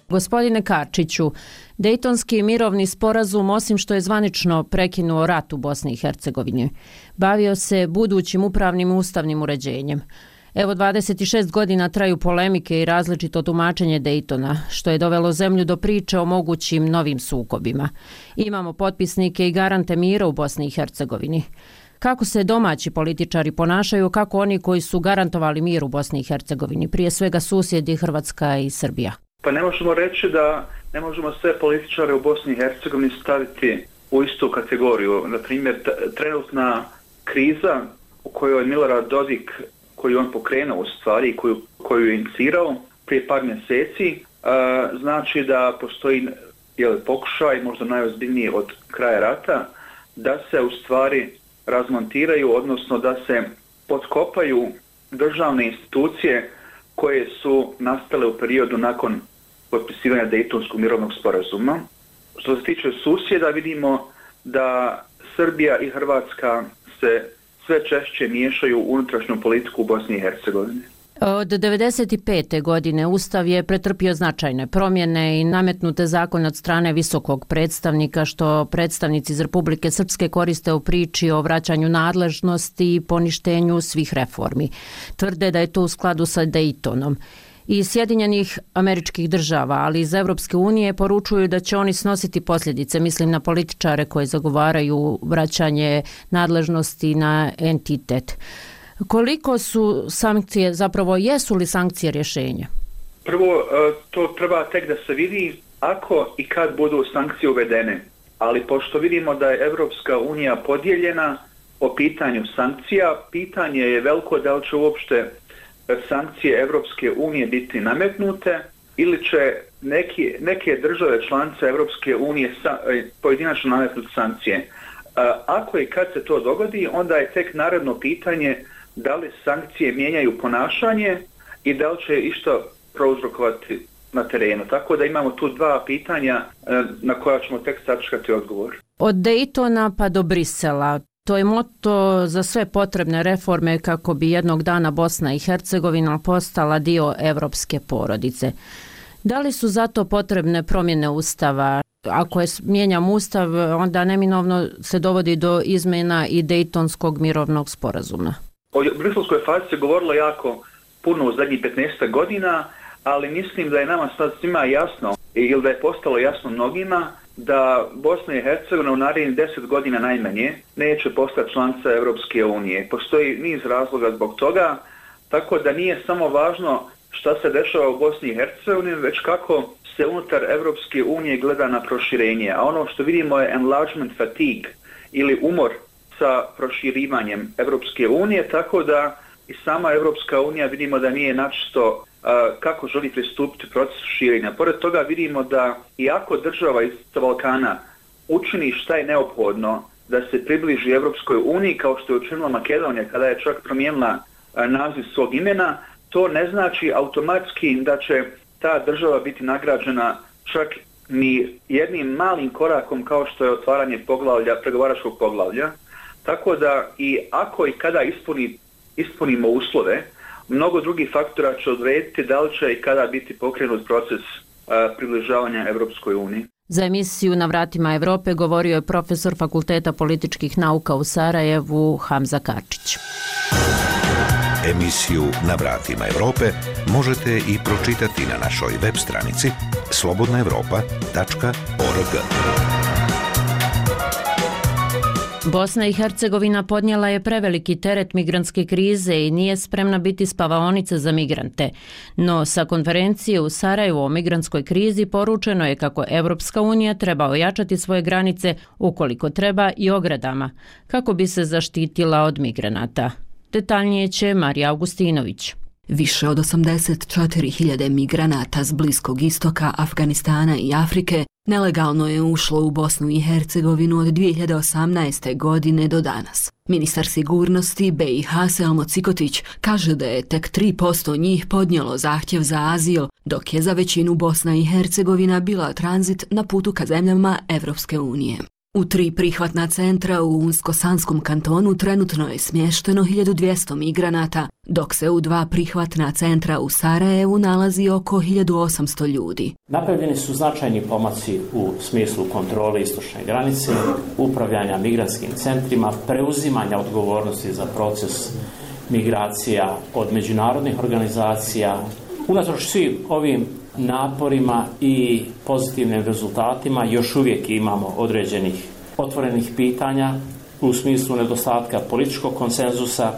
Gospodine Karčiću, Dejtonski mirovni sporazum, osim što je zvanično prekinuo rat u Bosni i Hercegovini, bavio se budućim upravnim i ustavnim uređenjem. Evo 26 godina traju polemike i različito tumačenje Dejtona, što je dovelo zemlju do priče o mogućim novim sukobima. Imamo potpisnike i garante mira u Bosni i Hercegovini. Kako se domaći političari ponašaju, kako oni koji su garantovali mir u Bosni i Hercegovini, prije svega susjedi Hrvatska i Srbija? Pa ne možemo reći da ne možemo sve političare u Bosni i Hercegovini staviti u istu kategoriju. Na primjer, trenutna kriza u kojoj Milorad Dodik, koju on pokrenuo u stvari i koju je inicirao prije par mjeseci, znači da postoji pokušaj, možda najozbiljniji od kraja rata, da se u stvari razmontiraju, odnosno da se potkopaju državne institucije koje su nastale u periodu nakon potpisivanja Dejtonskog mirovnog sporazuma. Što se tiče susjeda, vidimo da Srbija i Hrvatska se sve češće miješaju u unutrašnju politiku u Bosni i Hercegovini. Od 1995. godine Ustav je pretrpio značajne promjene i nametnute zakon od strane visokog predstavnika, što predstavnici iz Republike Srpske koriste u priči o vraćanju nadležnosti i poništenju svih reformi. Tvrde da je to u skladu sa Daytonom. Iz Sjedinjenih Američkih Država, ali iz Evropske unije poručuju da će oni snositi posljedice, mislim na političare koji zagovaraju vraćanje nadležnosti na entitet. Koliko su sankcije, zapravo jesu li sankcije rješenje? Prvo, to treba tek da se vidi ako i kad budu sankcije uvedene. Ali pošto vidimo da je Evropska unija podijeljena po pitanju sankcija, pitanje je veliko da li će uopšte sankcije Evropske unije biti nametnute ili će neke države članice Evropske unije pojedinačno nametnuti sankcije. Ako i kad se to dogodi, onda je tek naredno pitanje da li sankcije mijenjaju ponašanje i da li će išta prouzrokovati na terenu. Tako da imamo tu dva pitanja na koja ćemo tek sačekati odgovor. Od Daytona pa do Brisela. To je moto za sve potrebne reforme kako bi jednog dana Bosna i Hercegovina postala dio evropske porodice. Da li su zato potrebne promjene Ustava? Ako mijenjamo Ustav, onda neminovno se dovodi do izmjena i Daytonskog mirovnog sporazuma. O briselskoj fazi se govorilo jako puno u zadnjih 15 godina, ali mislim da je nama sad svima jasno, ili da je postalo jasno mnogima, da Bosna i Hercegovina u narednih 10 godina najmanje neće postati članica Evropske unije. Postoji niz razloga zbog toga, tako da nije samo važno šta se dešava u Bosni i Hercegovini, već kako se unutar Evropske unije gleda na proširenje. A ono što vidimo je enlargement fatigue ili umor sa proširivanjem Evropske unije, tako da i sama Evropska unija vidimo da nije načisto kako želi pristupiti procesu širenja. Pored toga vidimo da iako država iz Balkana učini šta je neophodno da se približi Evropskoj uniji, kao što je učinila Makedonija kada je čak promijenila naziv svog imena, to ne znači automatski da će ta država biti nagrađena čak ni jednim malim korakom kao što je otvaranje pregovaračkog poglavlja. Tako da i ako i kada ispunimo uslove, mnogo drugih faktora će odrediti da li će i kada biti pokrenut proces približavanja Evropskoj uniji. Za emisiju Na vratima Evrope govorio je profesor Fakulteta političkih nauka u Sarajevu Hamza Karčić. Emisiju Na vratima Evrope možete i pročitati na našoj web stranici slobodnaevropa.org. Bosna i Hercegovina podnijela je preveliki teret migrantske krize i nije spremna biti spavaonica za migrante. No sa konferencije u Sarajevu o migrantskoj krizi poručeno je kako Evropska unija treba ojačati svoje granice ukoliko treba i ogradama, kako bi se zaštitila od migranata. Detaljnije će Marija Augustinović. Više od 84.000 migranata s Bliskog istoka, Afganistana i Afrike nelegalno je ušlo u Bosnu i Hercegovinu od 2018. godine do danas. Ministar sigurnosti BiH Selmo Cikotić kaže da je tek 3% njih podnijelo zahtjev za azil, dok je za većinu Bosna i Hercegovina bila tranzit na putu ka zemljama Evropske unije. U 3 prihvatna centra u Unsko-Sanskom kantonu trenutno je smješteno 1200 migranata, dok se u 2 prihvatna centra u Sarajevu nalazi oko 1800 ljudi. Napravljeni su značajni pomaci u smislu kontrole istočne granice, upravljanja migrantskim centrima, preuzimanja odgovornosti za proces migracija od međunarodnih organizacija. Unatoč svim ovim naporima i pozitivnim rezultatima još uvijek imamo određenih otvorenih pitanja u smislu nedostatka političkog konsenzusa,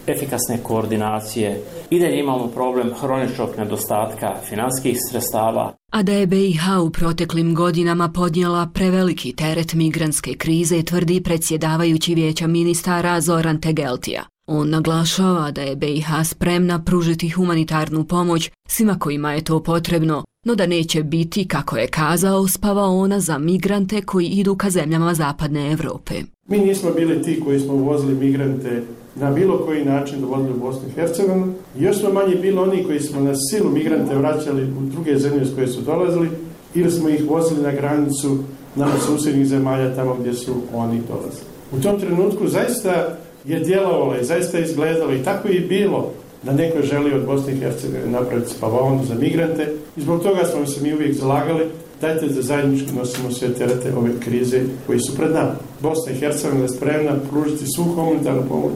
efikasne koordinacije. I dalje imamo problem hroničnog nedostatka financijskih sredstava. A da je BiH u proteklim godinama podnijela preveliki teret migrantske krize, tvrdi predsjedavajući Vijeća ministara Zoran Tegeltija. On naglašava da je BiH spremna pružiti humanitarnu pomoć svima kojima je to potrebno, no da neće biti, kako je kazao, spavaona za migrante koji idu ka zemljama zapadne Evrope. Mi nismo bili ti koji smo uvozili migrante na bilo koji način dovodili u Bosnu i Hercegovinu. Još smo manje bili oni koji smo na silu migrante vraćali u druge zemlje s koje su dolazili ili smo ih vozili na granicu nama susjednih zemalja tamo gdje su oni dolazili. U tom trenutku zaista je djelovalo i zaista je izgledalo i tako je bilo da neko želi od Bosne i Hercegovine napraviti spavaonu za migrante i zbog toga smo se mi uvijek zalagali, dajte da zajednički nosimo sve terete ove krize koji su pred nama. Bosna i Hercegovina je spremna pružiti svu humanitarnu pomoć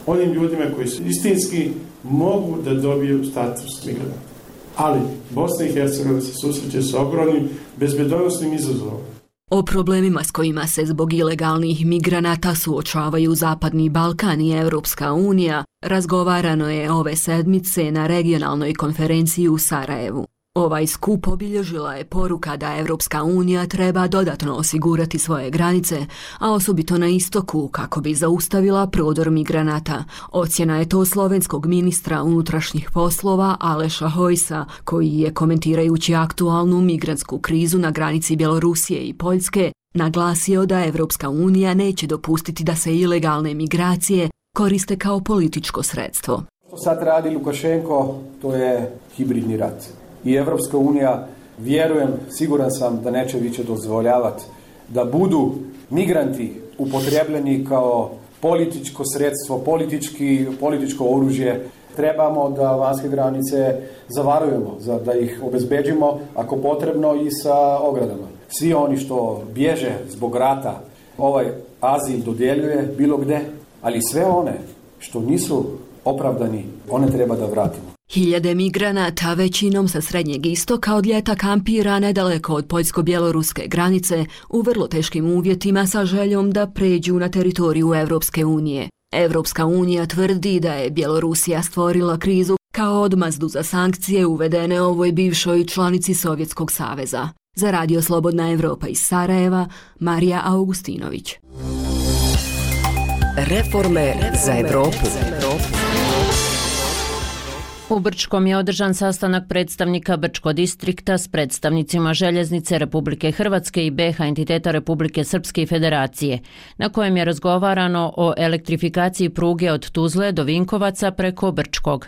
onim ljudima koji su istinski mogu da dobiju status migranta. Ali Bosna i Hercegovina se susreće sa ogromnim bezbednosnim izazovom. O problemima s kojima se zbog ilegalnih migranata suočavaju Zapadni Balkan i Europska unija razgovarano je ove sedmice na regionalnoj konferenciji u Sarajevu. Ovaj skup obilježila je poruka da Europska unija treba dodatno osigurati svoje granice, a osobito na istoku kako bi zaustavila prodor migranata. Ocjena je to slovenskog ministra unutrašnjih poslova Aleša Hojsa, koji je komentirajući aktualnu migrantsku krizu na granici Bjelorusije i Poljske naglasio da Europska unija neće dopustiti da se ilegalne migracije koriste kao političko sredstvo. Što sad radi Lukašenko, to je hibridni rat. I Evropska unija, vjerujem, siguran sam da neće više dozvoljavati da budu migranti upotrebljeni kao političko sredstvo, političko oružje. Trebamo da vanjske granice zavarujemo, da ih obezbeđimo, ako potrebno i sa ogradama. Svi oni što bježe zbog rata, ovaj azil dodjeljuje bilo gde, ali sve one što nisu opravdani, one treba da vratimo. Hiljade migranata, većinom sa Srednjeg istoka, od ljeta kampira nedaleko od poljsko-bjeloruske granice u vrlo teškim uvjetima sa željom da pređu na teritoriju Evropske unije. Evropska unija tvrdi da je Bjelorusija stvorila krizu kao odmazdu za sankcije uvedene ovoj bivšoj članici Sovjetskog saveza. Za Radio Slobodna Evropa iz Sarajeva, Marija Augustinović. Reforme za Evropu. U Brčkom je održan sastanak predstavnika Brčko distrikta s predstavnicima Željeznice Republike Hrvatske i BiH entiteta Republike Srpske i Federacije, na kojem je razgovarano o elektrifikaciji pruge od Tuzle do Vinkovaca preko Brčkog.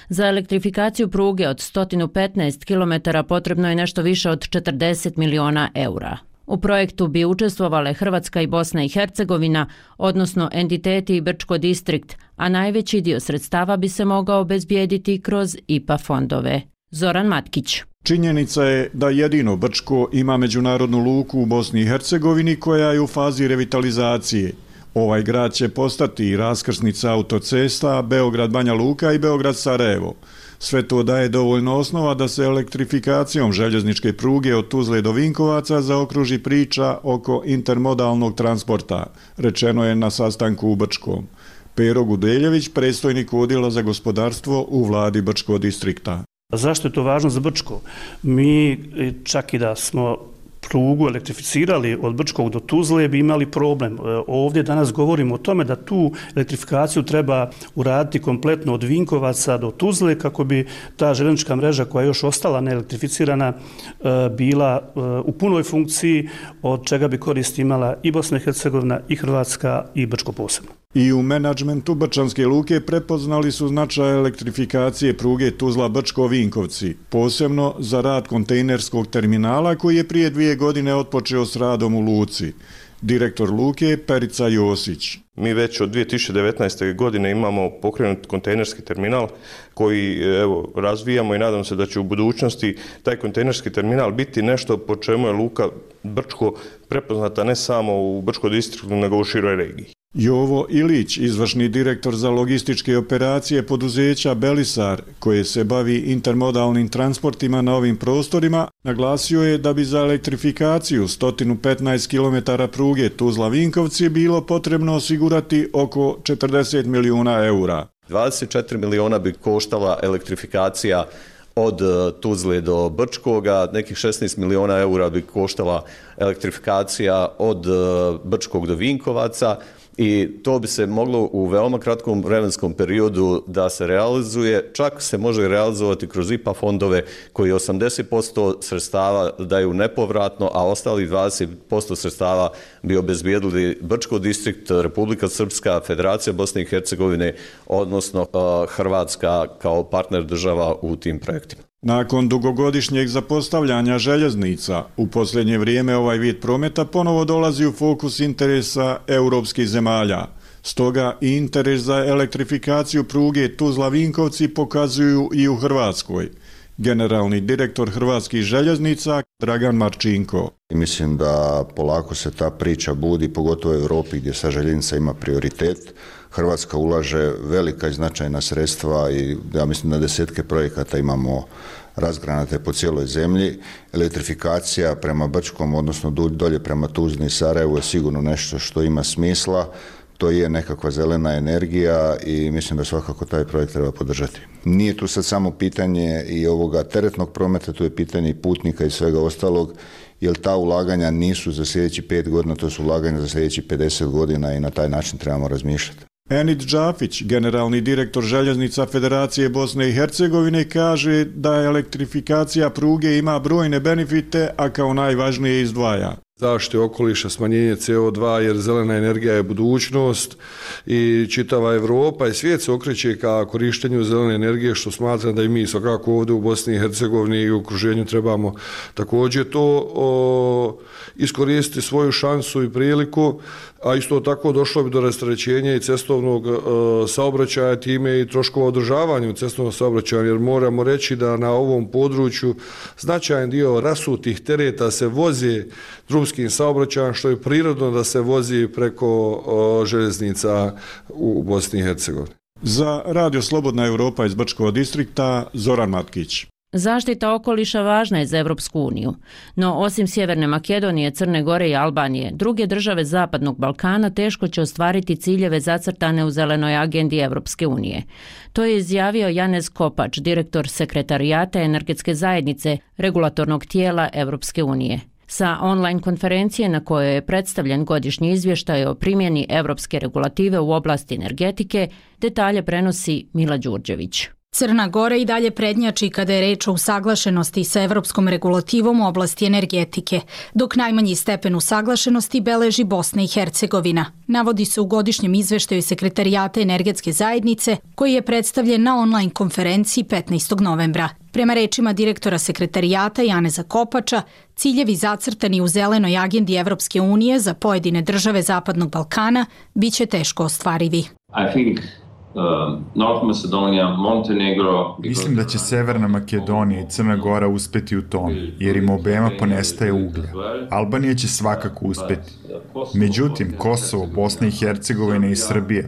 Za elektrifikaciju pruge od 115 km potrebno je nešto više od 40 miliona eura. U projektu bi učestvovale Hrvatska i Bosna i Hercegovina, odnosno entiteti i Brčko distrikt, a najveći dio sredstava bi se mogao obezbijediti kroz IPA fondove. Zoran Matkić. Činjenica je da jedino Brčko ima međunarodnu luku u Bosni i Hercegovini koja je u fazi revitalizacije. Ovaj grad će postati raskrsnica autocesta Beograd-Banja Luka i Beograd-Sarajevo. Sve to daje dovoljno osnova da se elektrifikacijom željezničke pruge od Tuzle do Vinkovaca zaokruži priča oko intermodalnog transporta, rečeno je na sastanku u Brčkom. Pero Gudeljević, predstojnik odjela za gospodarstvo u vladi Brčko distrikta. Zašto je to važno za Brčko? Mi čak i da smo prugu elektrificirali od Brčkog do Tuzle bi imali problem. Ovdje danas govorimo o tome da tu elektrifikaciju treba uraditi kompletno od Vinkovaca do Tuzle kako bi ta željeznička mreža koja je još ostala neelektrificirana bila u punoj funkciji, od čega bi korist imala i Bosna i Hercegovina i Hrvatska i Brčko posebno. I u menadžmentu Brčanske luke prepoznali su značaj elektrifikacije pruge Tuzla-Brčko-Vinkovci, posebno za rad kontejnerskog terminala koji je prije 2 godine otpočeo s radom u luci. Direktor luke Perica Josić. Mi već od 2019. godine imamo pokrenut kontejnerski terminal koji razvijamo i nadam se da će u budućnosti taj kontejnerski terminal biti nešto po čemu je luka Brčko prepoznata ne samo u Brčko distriktu nego u široj regiji. Jovo Ilić, izvršni direktor za logističke operacije poduzeća Belisar, koje se bavi intermodalnim transportima na ovim prostorima, naglasio je da bi za elektrifikaciju 115 km pruge Tuzla-Vinkovci bilo potrebno osigurati oko 40 milijuna eura. 24 miliona bi koštala elektrifikacija od Tuzle do Brčkoga, nekih 16 miliona eura bi koštala elektrifikacija od Brčkog do Vinkovaca, i to bi se moglo u veoma kratkom vremenskom periodu da se realizuje, čak se može realizovati kroz IPA fondove koji 80% sredstava daju nepovratno, a ostali 20% sredstava bi obezbijedili Brčko distrikt, Republika Srpska, Federacija Bosne i Hercegovine, odnosno Hrvatska kao partner država u tim projektima. Nakon dugogodišnjeg zapostavljanja željeznica, u posljednje vrijeme ovaj vid prometa ponovo dolazi u fokus interesa europskih zemalja. Stoga i interes za elektrifikaciju pruge Tuzla-Vinkovci pokazuju i u Hrvatskoj. Generalni direktor Hrvatskih željeznica Dragan Marčinko. Mislim da polako se ta priča budi, pogotovo u Europi gdje sa željeznica ima prioritet. Hrvatska ulaže velika i značajna sredstva i ja mislim da desetke projekata imamo razgranate po cijeloj zemlji. Elektrifikacija prema Brčkom, odnosno dolje prema Tuzli i Sarajevu je sigurno nešto što ima smisla. To je nekakva zelena energija i mislim da svakako taj projekt treba podržati. Nije tu sad samo pitanje i ovoga teretnog prometa, tu je pitanje i putnika i svega ostalog, jer ta ulaganja nisu za sljedeći 5 godina, to su ulaganja za sljedeći 50 godina i na taj način trebamo razmišljati. Enid Džafić, generalni direktor Željeznica Federacije Bosne i Hercegovine, kaže da elektrifikacija pruge ima brojne benefite, a kao najvažnije izdvaja zaštite okoliša, smanjenje CO2, jer zelena energija je budućnost i čitava Europa i svijet se okreće ka korištenju zelene energije, što smatram da i mi svakako ovdje u Bosni i Hercegovini i u okruženju trebamo također to iskoristiti svoju šansu i priliku, a isto tako došlo bi do rasterećenja i cestovnog saobraćaja, time i troškova održavanja cestovnog saobraćaja, jer moramo reći da na ovom području značajan dio rasutih tereta se vozi drumskim saobraćajem, što je prirodno da se vozi preko željeznica u Bosni i Hercegovini. Za Radio Slobodna Europa iz Brčkog distrikta, Zoran Matkić. Zaštita okoliša važna je za Evropsku uniju, no osim Sjeverne Makedonije, Crne Gore i Albanije, druge države Zapadnog Balkana teško će ostvariti ciljeve zacrtane u zelenoj agendi Evropske unije. To je izjavio Janez Kopač, direktor Sekretarijata energetske zajednice, regulatornog tijela Evropske unije. Sa online konferencije na kojoj je predstavljen godišnji izvještaj o primjeni evropske regulative u oblasti energetike, detalje prenosi Mila Đurđević. Crna Gora i dalje prednjači kada je reč o usaglašenosti sa evropskom regulativom u oblasti energetike, dok najmanji stepen usaglašenosti beleži Bosna i Hercegovina. Navodi se u godišnjem izveštaju Sekretarijata energetske zajednice, koji je predstavljen na online konferenciji 15. novembra. Prema rečima direktora Sekretarijata Janeza Kopača, ciljevi zacrtani u zelenoj agendi Evropske unije za pojedine države Zapadnog Balkana biće teško ostvarivi. Mislim da će Severna Makedonija i Crna Gora uspeti u tom, jer im obema ponestaje uglja. Albanija će svakako uspeti. Međutim, Kosovo, Bosna i Hercegovina i Srbija,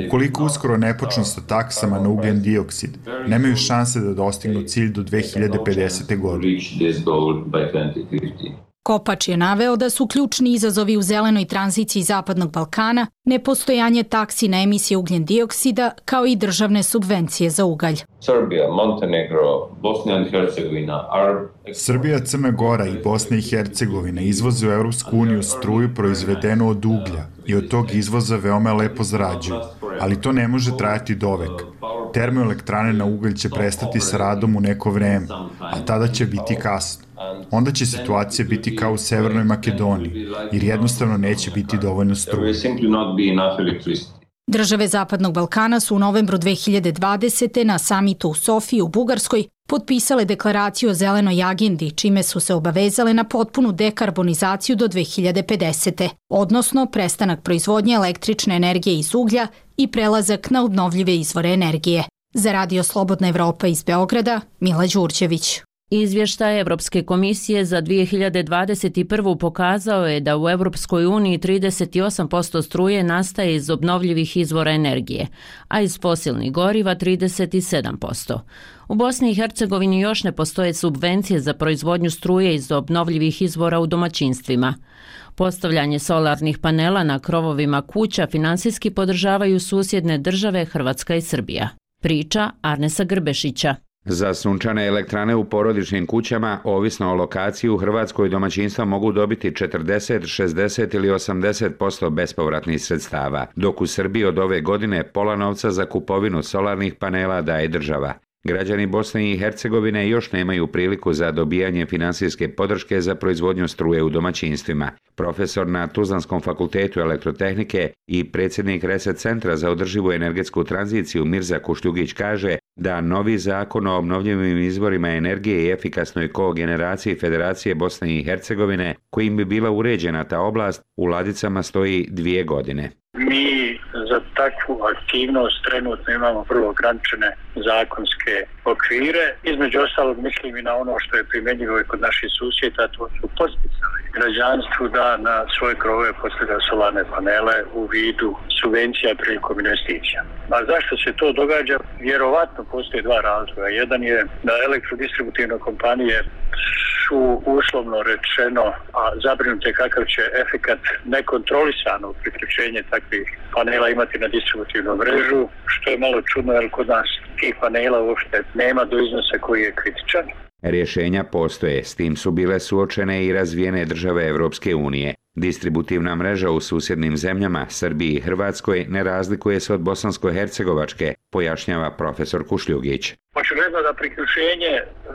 ukoliko uskoro ne počnu sa taksama na ugljen dioksid, nemaju šanse da dostignu cilj do 2050. godine. Kopač je naveo da su ključni izazovi u zelenoj tranziciji Zapadnog Balkana nepostojanje taksi na emisije ugljen dioksida kao i državne subvencije za ugalj. Srbija, Crna Gora i Bosna i Hercegovina izvoze u Evropsku uniju struju proizvedenu od uglja i od tog izvoza veoma lepo zarađuju, ali to ne može trajati dovek. Termoelektrane na ugalj će prestati sa radom u neko vreme, a tada će biti kasno. Onda će situacija biti kao u Severnoj Makedoniji, jer jednostavno neće biti dovoljno struje. Države Zapadnog Balkana su u novembru 2020. na samitu u Sofiji u Bugarskoj potpisale deklaraciju o zelenoj agendi, čime su se obavezale na potpunu dekarbonizaciju do 2050. Odnosno prestanak proizvodnje električne energije iz uglja i prelazak na obnovljive izvore energije. Za Radio Slobodna Evropa iz Beograda, Mila Đurđević. Izvještaj Evropske komisije za 2021. pokazao je da u Evropskoj uniji 38% struje nastaje iz obnovljivih izvora energije, a iz fosilnih goriva 37%. U Bosni i Hercegovini još ne postoje subvencije za proizvodnju struje iz obnovljivih izvora u domaćinstvima. Postavljanje solarnih panela na krovovima kuća finansijski podržavaju susjedne države Hrvatska i Srbija. Priča Arnesa Grbešića. Za sunčane elektrane u porodičnim kućama, ovisno o lokaciji, u Hrvatskoj domaćinstva mogu dobiti 40, 60 ili 80% bespovratnih sredstava, dok u Srbiji od ove godine pola novca za kupovinu solarnih panela daje država. Građani Bosne i Hercegovine još nemaju priliku za dobijanje finansijske podrške za proizvodnju struje u domaćinstvima. Profesor na Tuzlanskom fakultetu elektrotehnike i predsjednik Reset centra za održivu energetsku tranziciju Mirza Kušljugić kaže da novi zakon o obnovljivim izvorima energije i efikasnoj kogeneraciji Federacije Bosne i Hercegovine, kojim bi bila uređena ta oblast, u ladicama stoji 2 godine. Mi za takvu aktivnost trenutno imamo vrlo ograničene zakonske okvire. Između ostalog mislim i na ono što je primjenjivo i kod naših susjeda, to su podsticali građanstvu da na svoje krovove postavlja solarne panele u vidu subvencija prilikom investicija. A zašto se to događa? Vjerovatno postoje dva razloga. Jedan je da elektrodistributivne kompanije su uslovno rečeno zabrinute kakav će efekat nekontrolisano priključenje takvih panela imati na distributivnu mrežu, što je malo čudno jer kod nas tih panela uopšte nema do iznosa koji je kritičan. Rješenja postoje, s tim su bile suočene i razvijene države Evropske unije. Distributivna mreža u susjednim zemljama, Srbiji i Hrvatskoj, ne razlikuje se od bosansko-hercegovačke, pojašnjava profesor Kušljugić. Očigledno da priključenje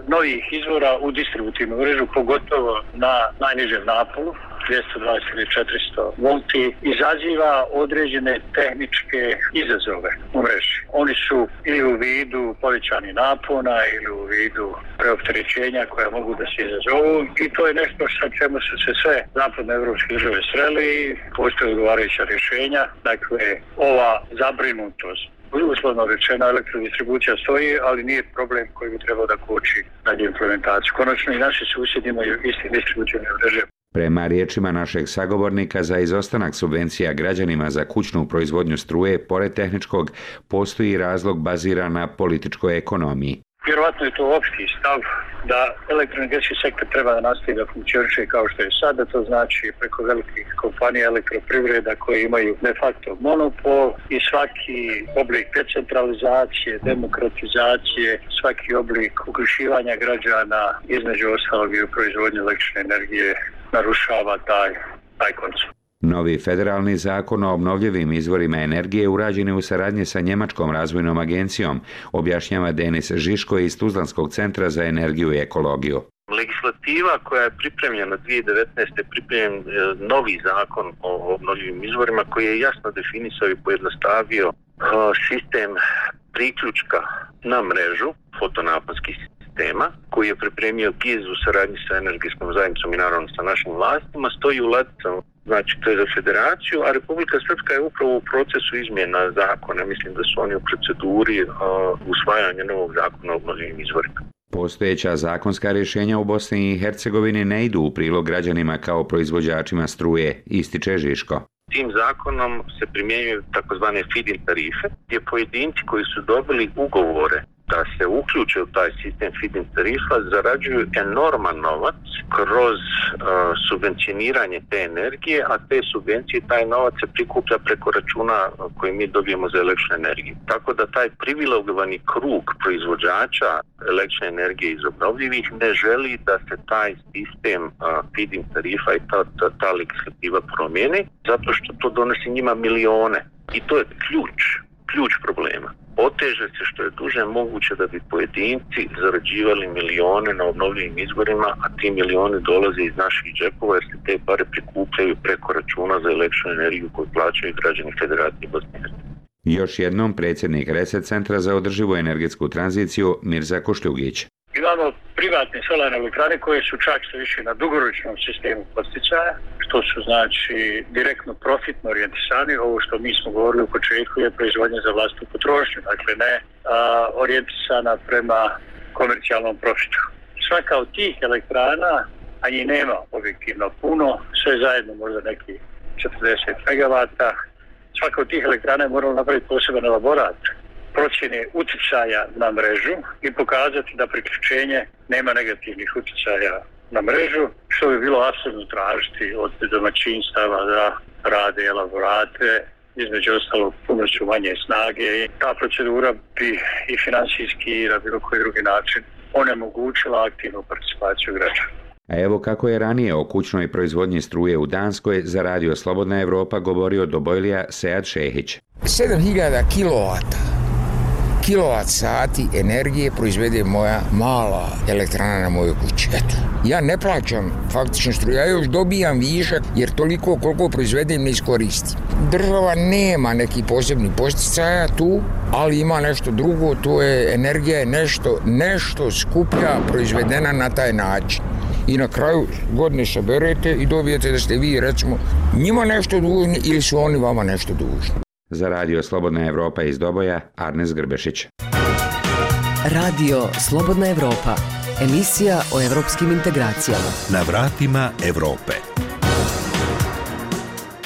novih izvora u distributivnu mrežu, pogotovo na najnižem napolu, 220 ili 400 volti, izaziva određene tehničke izazove u mreži. Oni su ili u vidu povećanih napona ili u vidu preopterećenja koja mogu da se izazovu i to je nešto sa čemu su se sve zapadnoevropske države sreli i postoje odgovarajuća rješenja. Dakle, ova zabrinutost uslovno rečeno elektrodistribucija stoji, ali nije problem koji bi trebao da koči dalje implementaciju. Konačno i naši susjedi imaju isti distributivne mreže. Prema riječima našeg sagovornika, za izostanak subvencija građanima za kućnu proizvodnju struje, pored tehničkog, postoji razlog baziran na političkoj ekonomiji. Vjerovatno je to opšti stav da elektroenergetski sektor treba da nastavi da funkcioniše kao što je sada, to znači preko velikih kompanija elektroprivreda koje imaju de facto monopol i svaki oblik decentralizacije, demokratizacije, svaki oblik uključivanja građana između ostalog i u proizvodnju električne energije narušava taj koncept. Novi federalni zakon o obnovljivim izvorima energije urađen je u saradnji sa Njemačkom razvojnom agencijom, objašnjava Denis Žiško iz Tuzlanskog centra za energiju i ekologiju. Legislativa koja je pripremljena 2019. pripremljen novi zakon o obnovljivim izvorima koji je jasno definisao i pojednostavio sistem priključka na mrežu fotonaponskih sistema koji je pripremio GIZ u saradnji sa energetskom zajednicom i naravno sa našim vlastima, stoji u ladicama, znači to je za federaciju, a Republika Srpska je upravo u procesu izmjena zakona. Mislim da su oni u proceduri usvajanja novog zakona o obnovljivim izvorima. Postojeća zakonska rješenja u Bosni i Hercegovini ne idu u prilog građanima kao proizvođačima struje, ističe Žiško. Tim zakonom se primjenjuju takozvane feed-in tarife, gdje pojedinci koji su dobili ugovore da se uključe u taj sistem feed-in tarifa zarađuju enorman novac kroz subvencioniranje te energije, a te subvencije, taj novac se prikuplja preko računa koji mi dobijemo za električnu energiju. Tako da taj privilegovani krug proizvođača električne energije iz obnovljivih ne želi da se taj sistem feed-in tarifa i ta legislativa promijeni, zato što to donosi njima milione. I to je ključ problema. Oteže se što je duže moguće da bi pojedinci zarađivali milione na obnovljivim izvorima, a ti milioni dolaze iz naših džepova jer se te pare prikupljaju preko računa za električnu energiju koju plaćaju građani Federacije Bosne i Hercegovine. Još jednom predsjednik Reset centra za održivu energetsku tranziciju Mirza Kušljugić. Imamo privatne solarne elektrane koje su čak sve više na dugoročnom sistemu podsticaja, što su znači direktno profitno orijentisani. Ovo što mi smo govorili u početku je proizvodnja za vlastnu potrošnju, dakle ne orijentisana prema komercijalnom profitu. Svaka od tih elektrana, a njih nema objektivno puno, sve zajedno možda neki 40 megavata, svaka od tih elektrana je morala napraviti poseban elaborat procjene utjecaja na mrežu i pokazati da priključenje nema negativnih utjecaja na mrežu, što bi bilo apsolutno tražiti od domaćinstava da rade elaborate, između ostalog pomoću manje snage. Ta procedura bi i finansijski i na bilo koji drugi način onemogućila aktivnu participaciju građana. A evo kako je ranije o kućnoj proizvodnji struje u Danskoj za Radio Slobodna Evropa govorio Dobojlija Sead Šehić. 7000 kilovat sati energije proizvede moja mala elektrana na mojoj kući. Eto. Ja ne plaćam faktično struju, ja još dobijam višak jer toliko koliko proizvedem ne iskoristim. Država nema neki posebni posticaja tu, ali ima nešto drugo, to je energija je nešto skuplja proizvedena na taj način. I na kraju godine saberete i dobijete da ste vi recimo njima nešto dužni ili su oni vama nešto dužni. Za Radio Slobodna Evropa iz Doboja, Arnes Grbešić. Radio Slobodna Evropa, emisija o evropskim integracijama. Na vratima Evrope.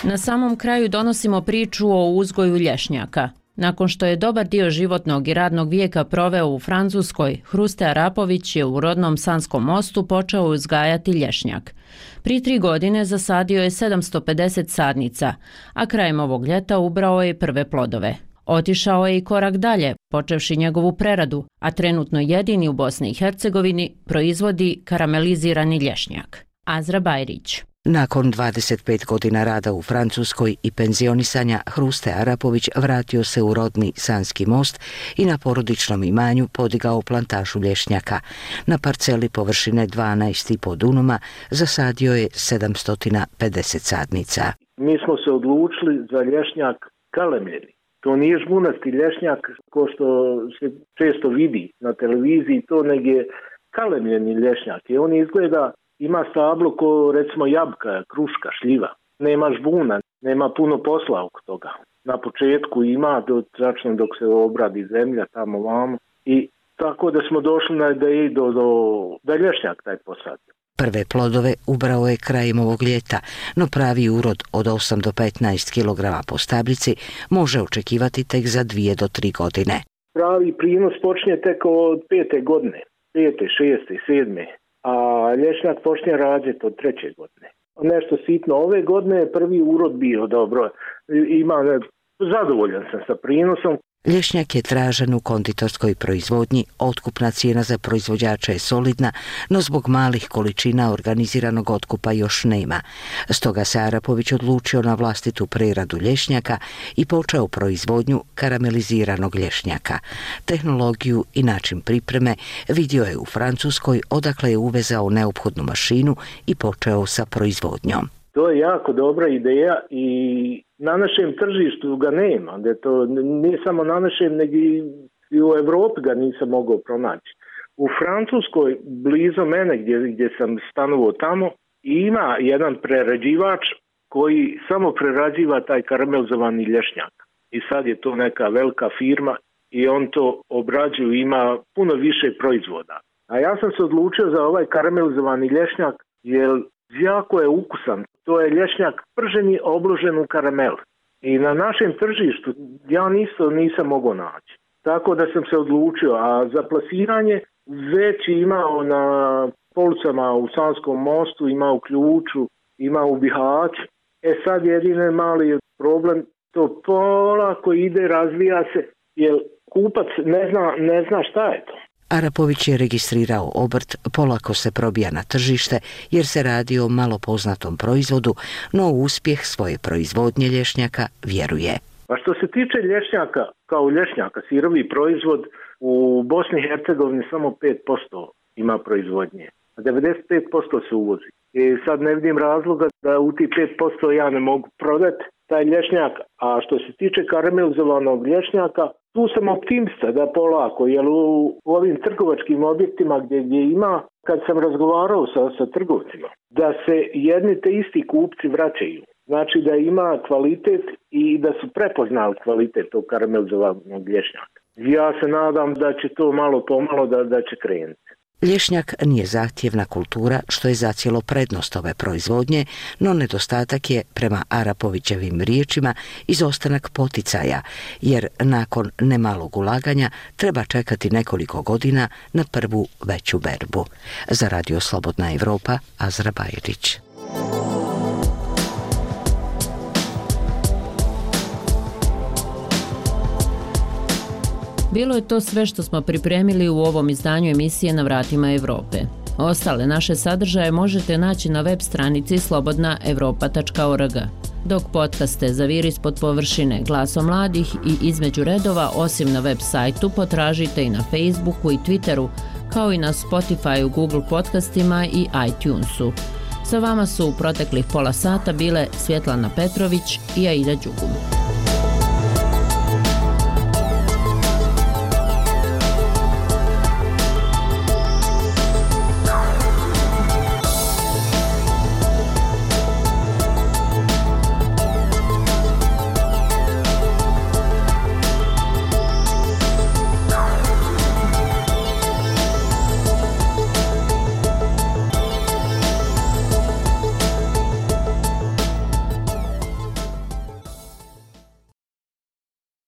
Na samom kraju donosimo priču o uzgoju lješnjaka. Nakon što je dobar dio životnog i radnog vijeka proveo u Francuskoj, Hruste Arapović je u rodnom Sanskom Mostu počeo uzgajati lješnjak. Prije 3 godine zasadio je 750 sadnica, a krajem ovog ljeta ubrao je prve plodove. Otišao je i korak dalje, počevši njegovu preradu, a trenutno jedini u Bosni i Hercegovini proizvodi karamelizirani lješnjak. Azra Bajrić. Nakon 25 godina rada u Francuskoj i penzionisanja, Hruste Arapović vratio se u rodni Sanski Most i na porodičnom imanju podigao plantažu lješnjaka. Na parceli površine 12,5 dunuma zasadio je 750 sadnica. Mi smo se odlučili za lješnjak kalemljeni. To nije žbunasti lješnjak ko što se često vidi na televiziji, to nego je kalemljeni lješnjak. I on izgleda, ima stablo ko recimo jabuka, kruška, šljiva. Nema žbuna, nema puno posla oko toga. Na početku ima, tačno dok se obradi zemlja tamo vamo. I tako da smo došli na ideju da lješnjak taj posadi. Prve plodove ubrao je krajem ovog ljeta, no pravi urod od 8 do 15 kg po stablici može očekivati tek za 2 do 3 godine. Pravi prinos počinje tek od 5. godine, 5., 6., 7., a lješnjak počinje rađati od 3. godine. Nešto sitno. Ove godine je prvi urod bio dobro. Zadovoljan sam sa prinosom. Lješnjak je tražen u konditorskoj proizvodnji, otkupna cijena za proizvođača je solidna, no zbog malih količina organiziranog otkupa još nema. Stoga se Arapović odlučio na vlastitu preradu lješnjaka i počeo proizvodnju karameliziranog lješnjaka. Tehnologiju i način pripreme vidio je u Francuskoj, odakle je uvezao neophodnu mašinu i počeo sa proizvodnjom. To je jako dobra ideja i na našem tržištu ga nema. Da to nije samo na našem, nego i u Evropi ga nisam mogao pronaći. U Francuskoj, blizu mene gdje sam stanovao tamo, ima jedan prerađivač koji samo prerađiva taj karamelizovani lješnjak. I sad je to neka velika firma i on to obrađuje, ima puno više proizvoda. A ja sam se odlučio za ovaj karamelizovani lješnjak jer jako je ukusan. To je lješnjak prženi obložen u karamel. I na našem tržištu ja nisam mogao naći. Tako da sam se odlučio. A za plasiranje već imao na policama u Sanskom Mostu, ima u Ključu, ima u Bihaću. Sad jedini mali problem, to polako ide, razvija se, jer kupac ne zna šta je to. Arapović je registrirao obrt, polako se probija na tržište jer se radi o malo poznatom proizvodu, no u uspjeh svoje proizvodnje lješnjaka vjeruje. A što se tiče lješnjaka, kao lješnjaka, sirovi proizvod, u Bosni i Hercegovini samo 5% ima proizvodnje, a 95% se uvozi. I sad ne vidim razloga da u tih 5% ja ne mogu prodati taj lješnjak, a što se tiče karamelizovanog lješnjaka, tu sam optimista da polako, jer u ovim trgovačkim objektima gdje ima, kad sam razgovarao sa trgovcima, da se jedni te isti kupci vraćaju. Znači da ima kvalitet i da su prepoznali kvalitet tog karamelizovanog lješnjaka. Ja se nadam da će to malo pomalo da će krenuti. Lješnjak nije zahtjevna kultura, što je zacijelo prednost ove proizvodnje, no nedostatak je, prema Arapovićevim riječima, izostanak poticaja, jer nakon nemalog ulaganja treba čekati nekoliko godina na prvu veću berbu. Za Radio Slobodna Evropa, Azra Bajrić. Bilo je to sve što smo pripremili u ovom izdanju emisije Na vratima Evrope. Ostale naše sadržaje možete naći na web stranici slobodnaevropa.org. Dok podcaste Zavir ispod površine, Glaso mladih i Između redova, osim na web sajtu, potražite i na Facebooku i Twitteru, kao i na Spotifyu, Google podcastima i iTunesu. Sa vama su u proteklih pola sata bile Svjetlana Petrović i Aida Đugum.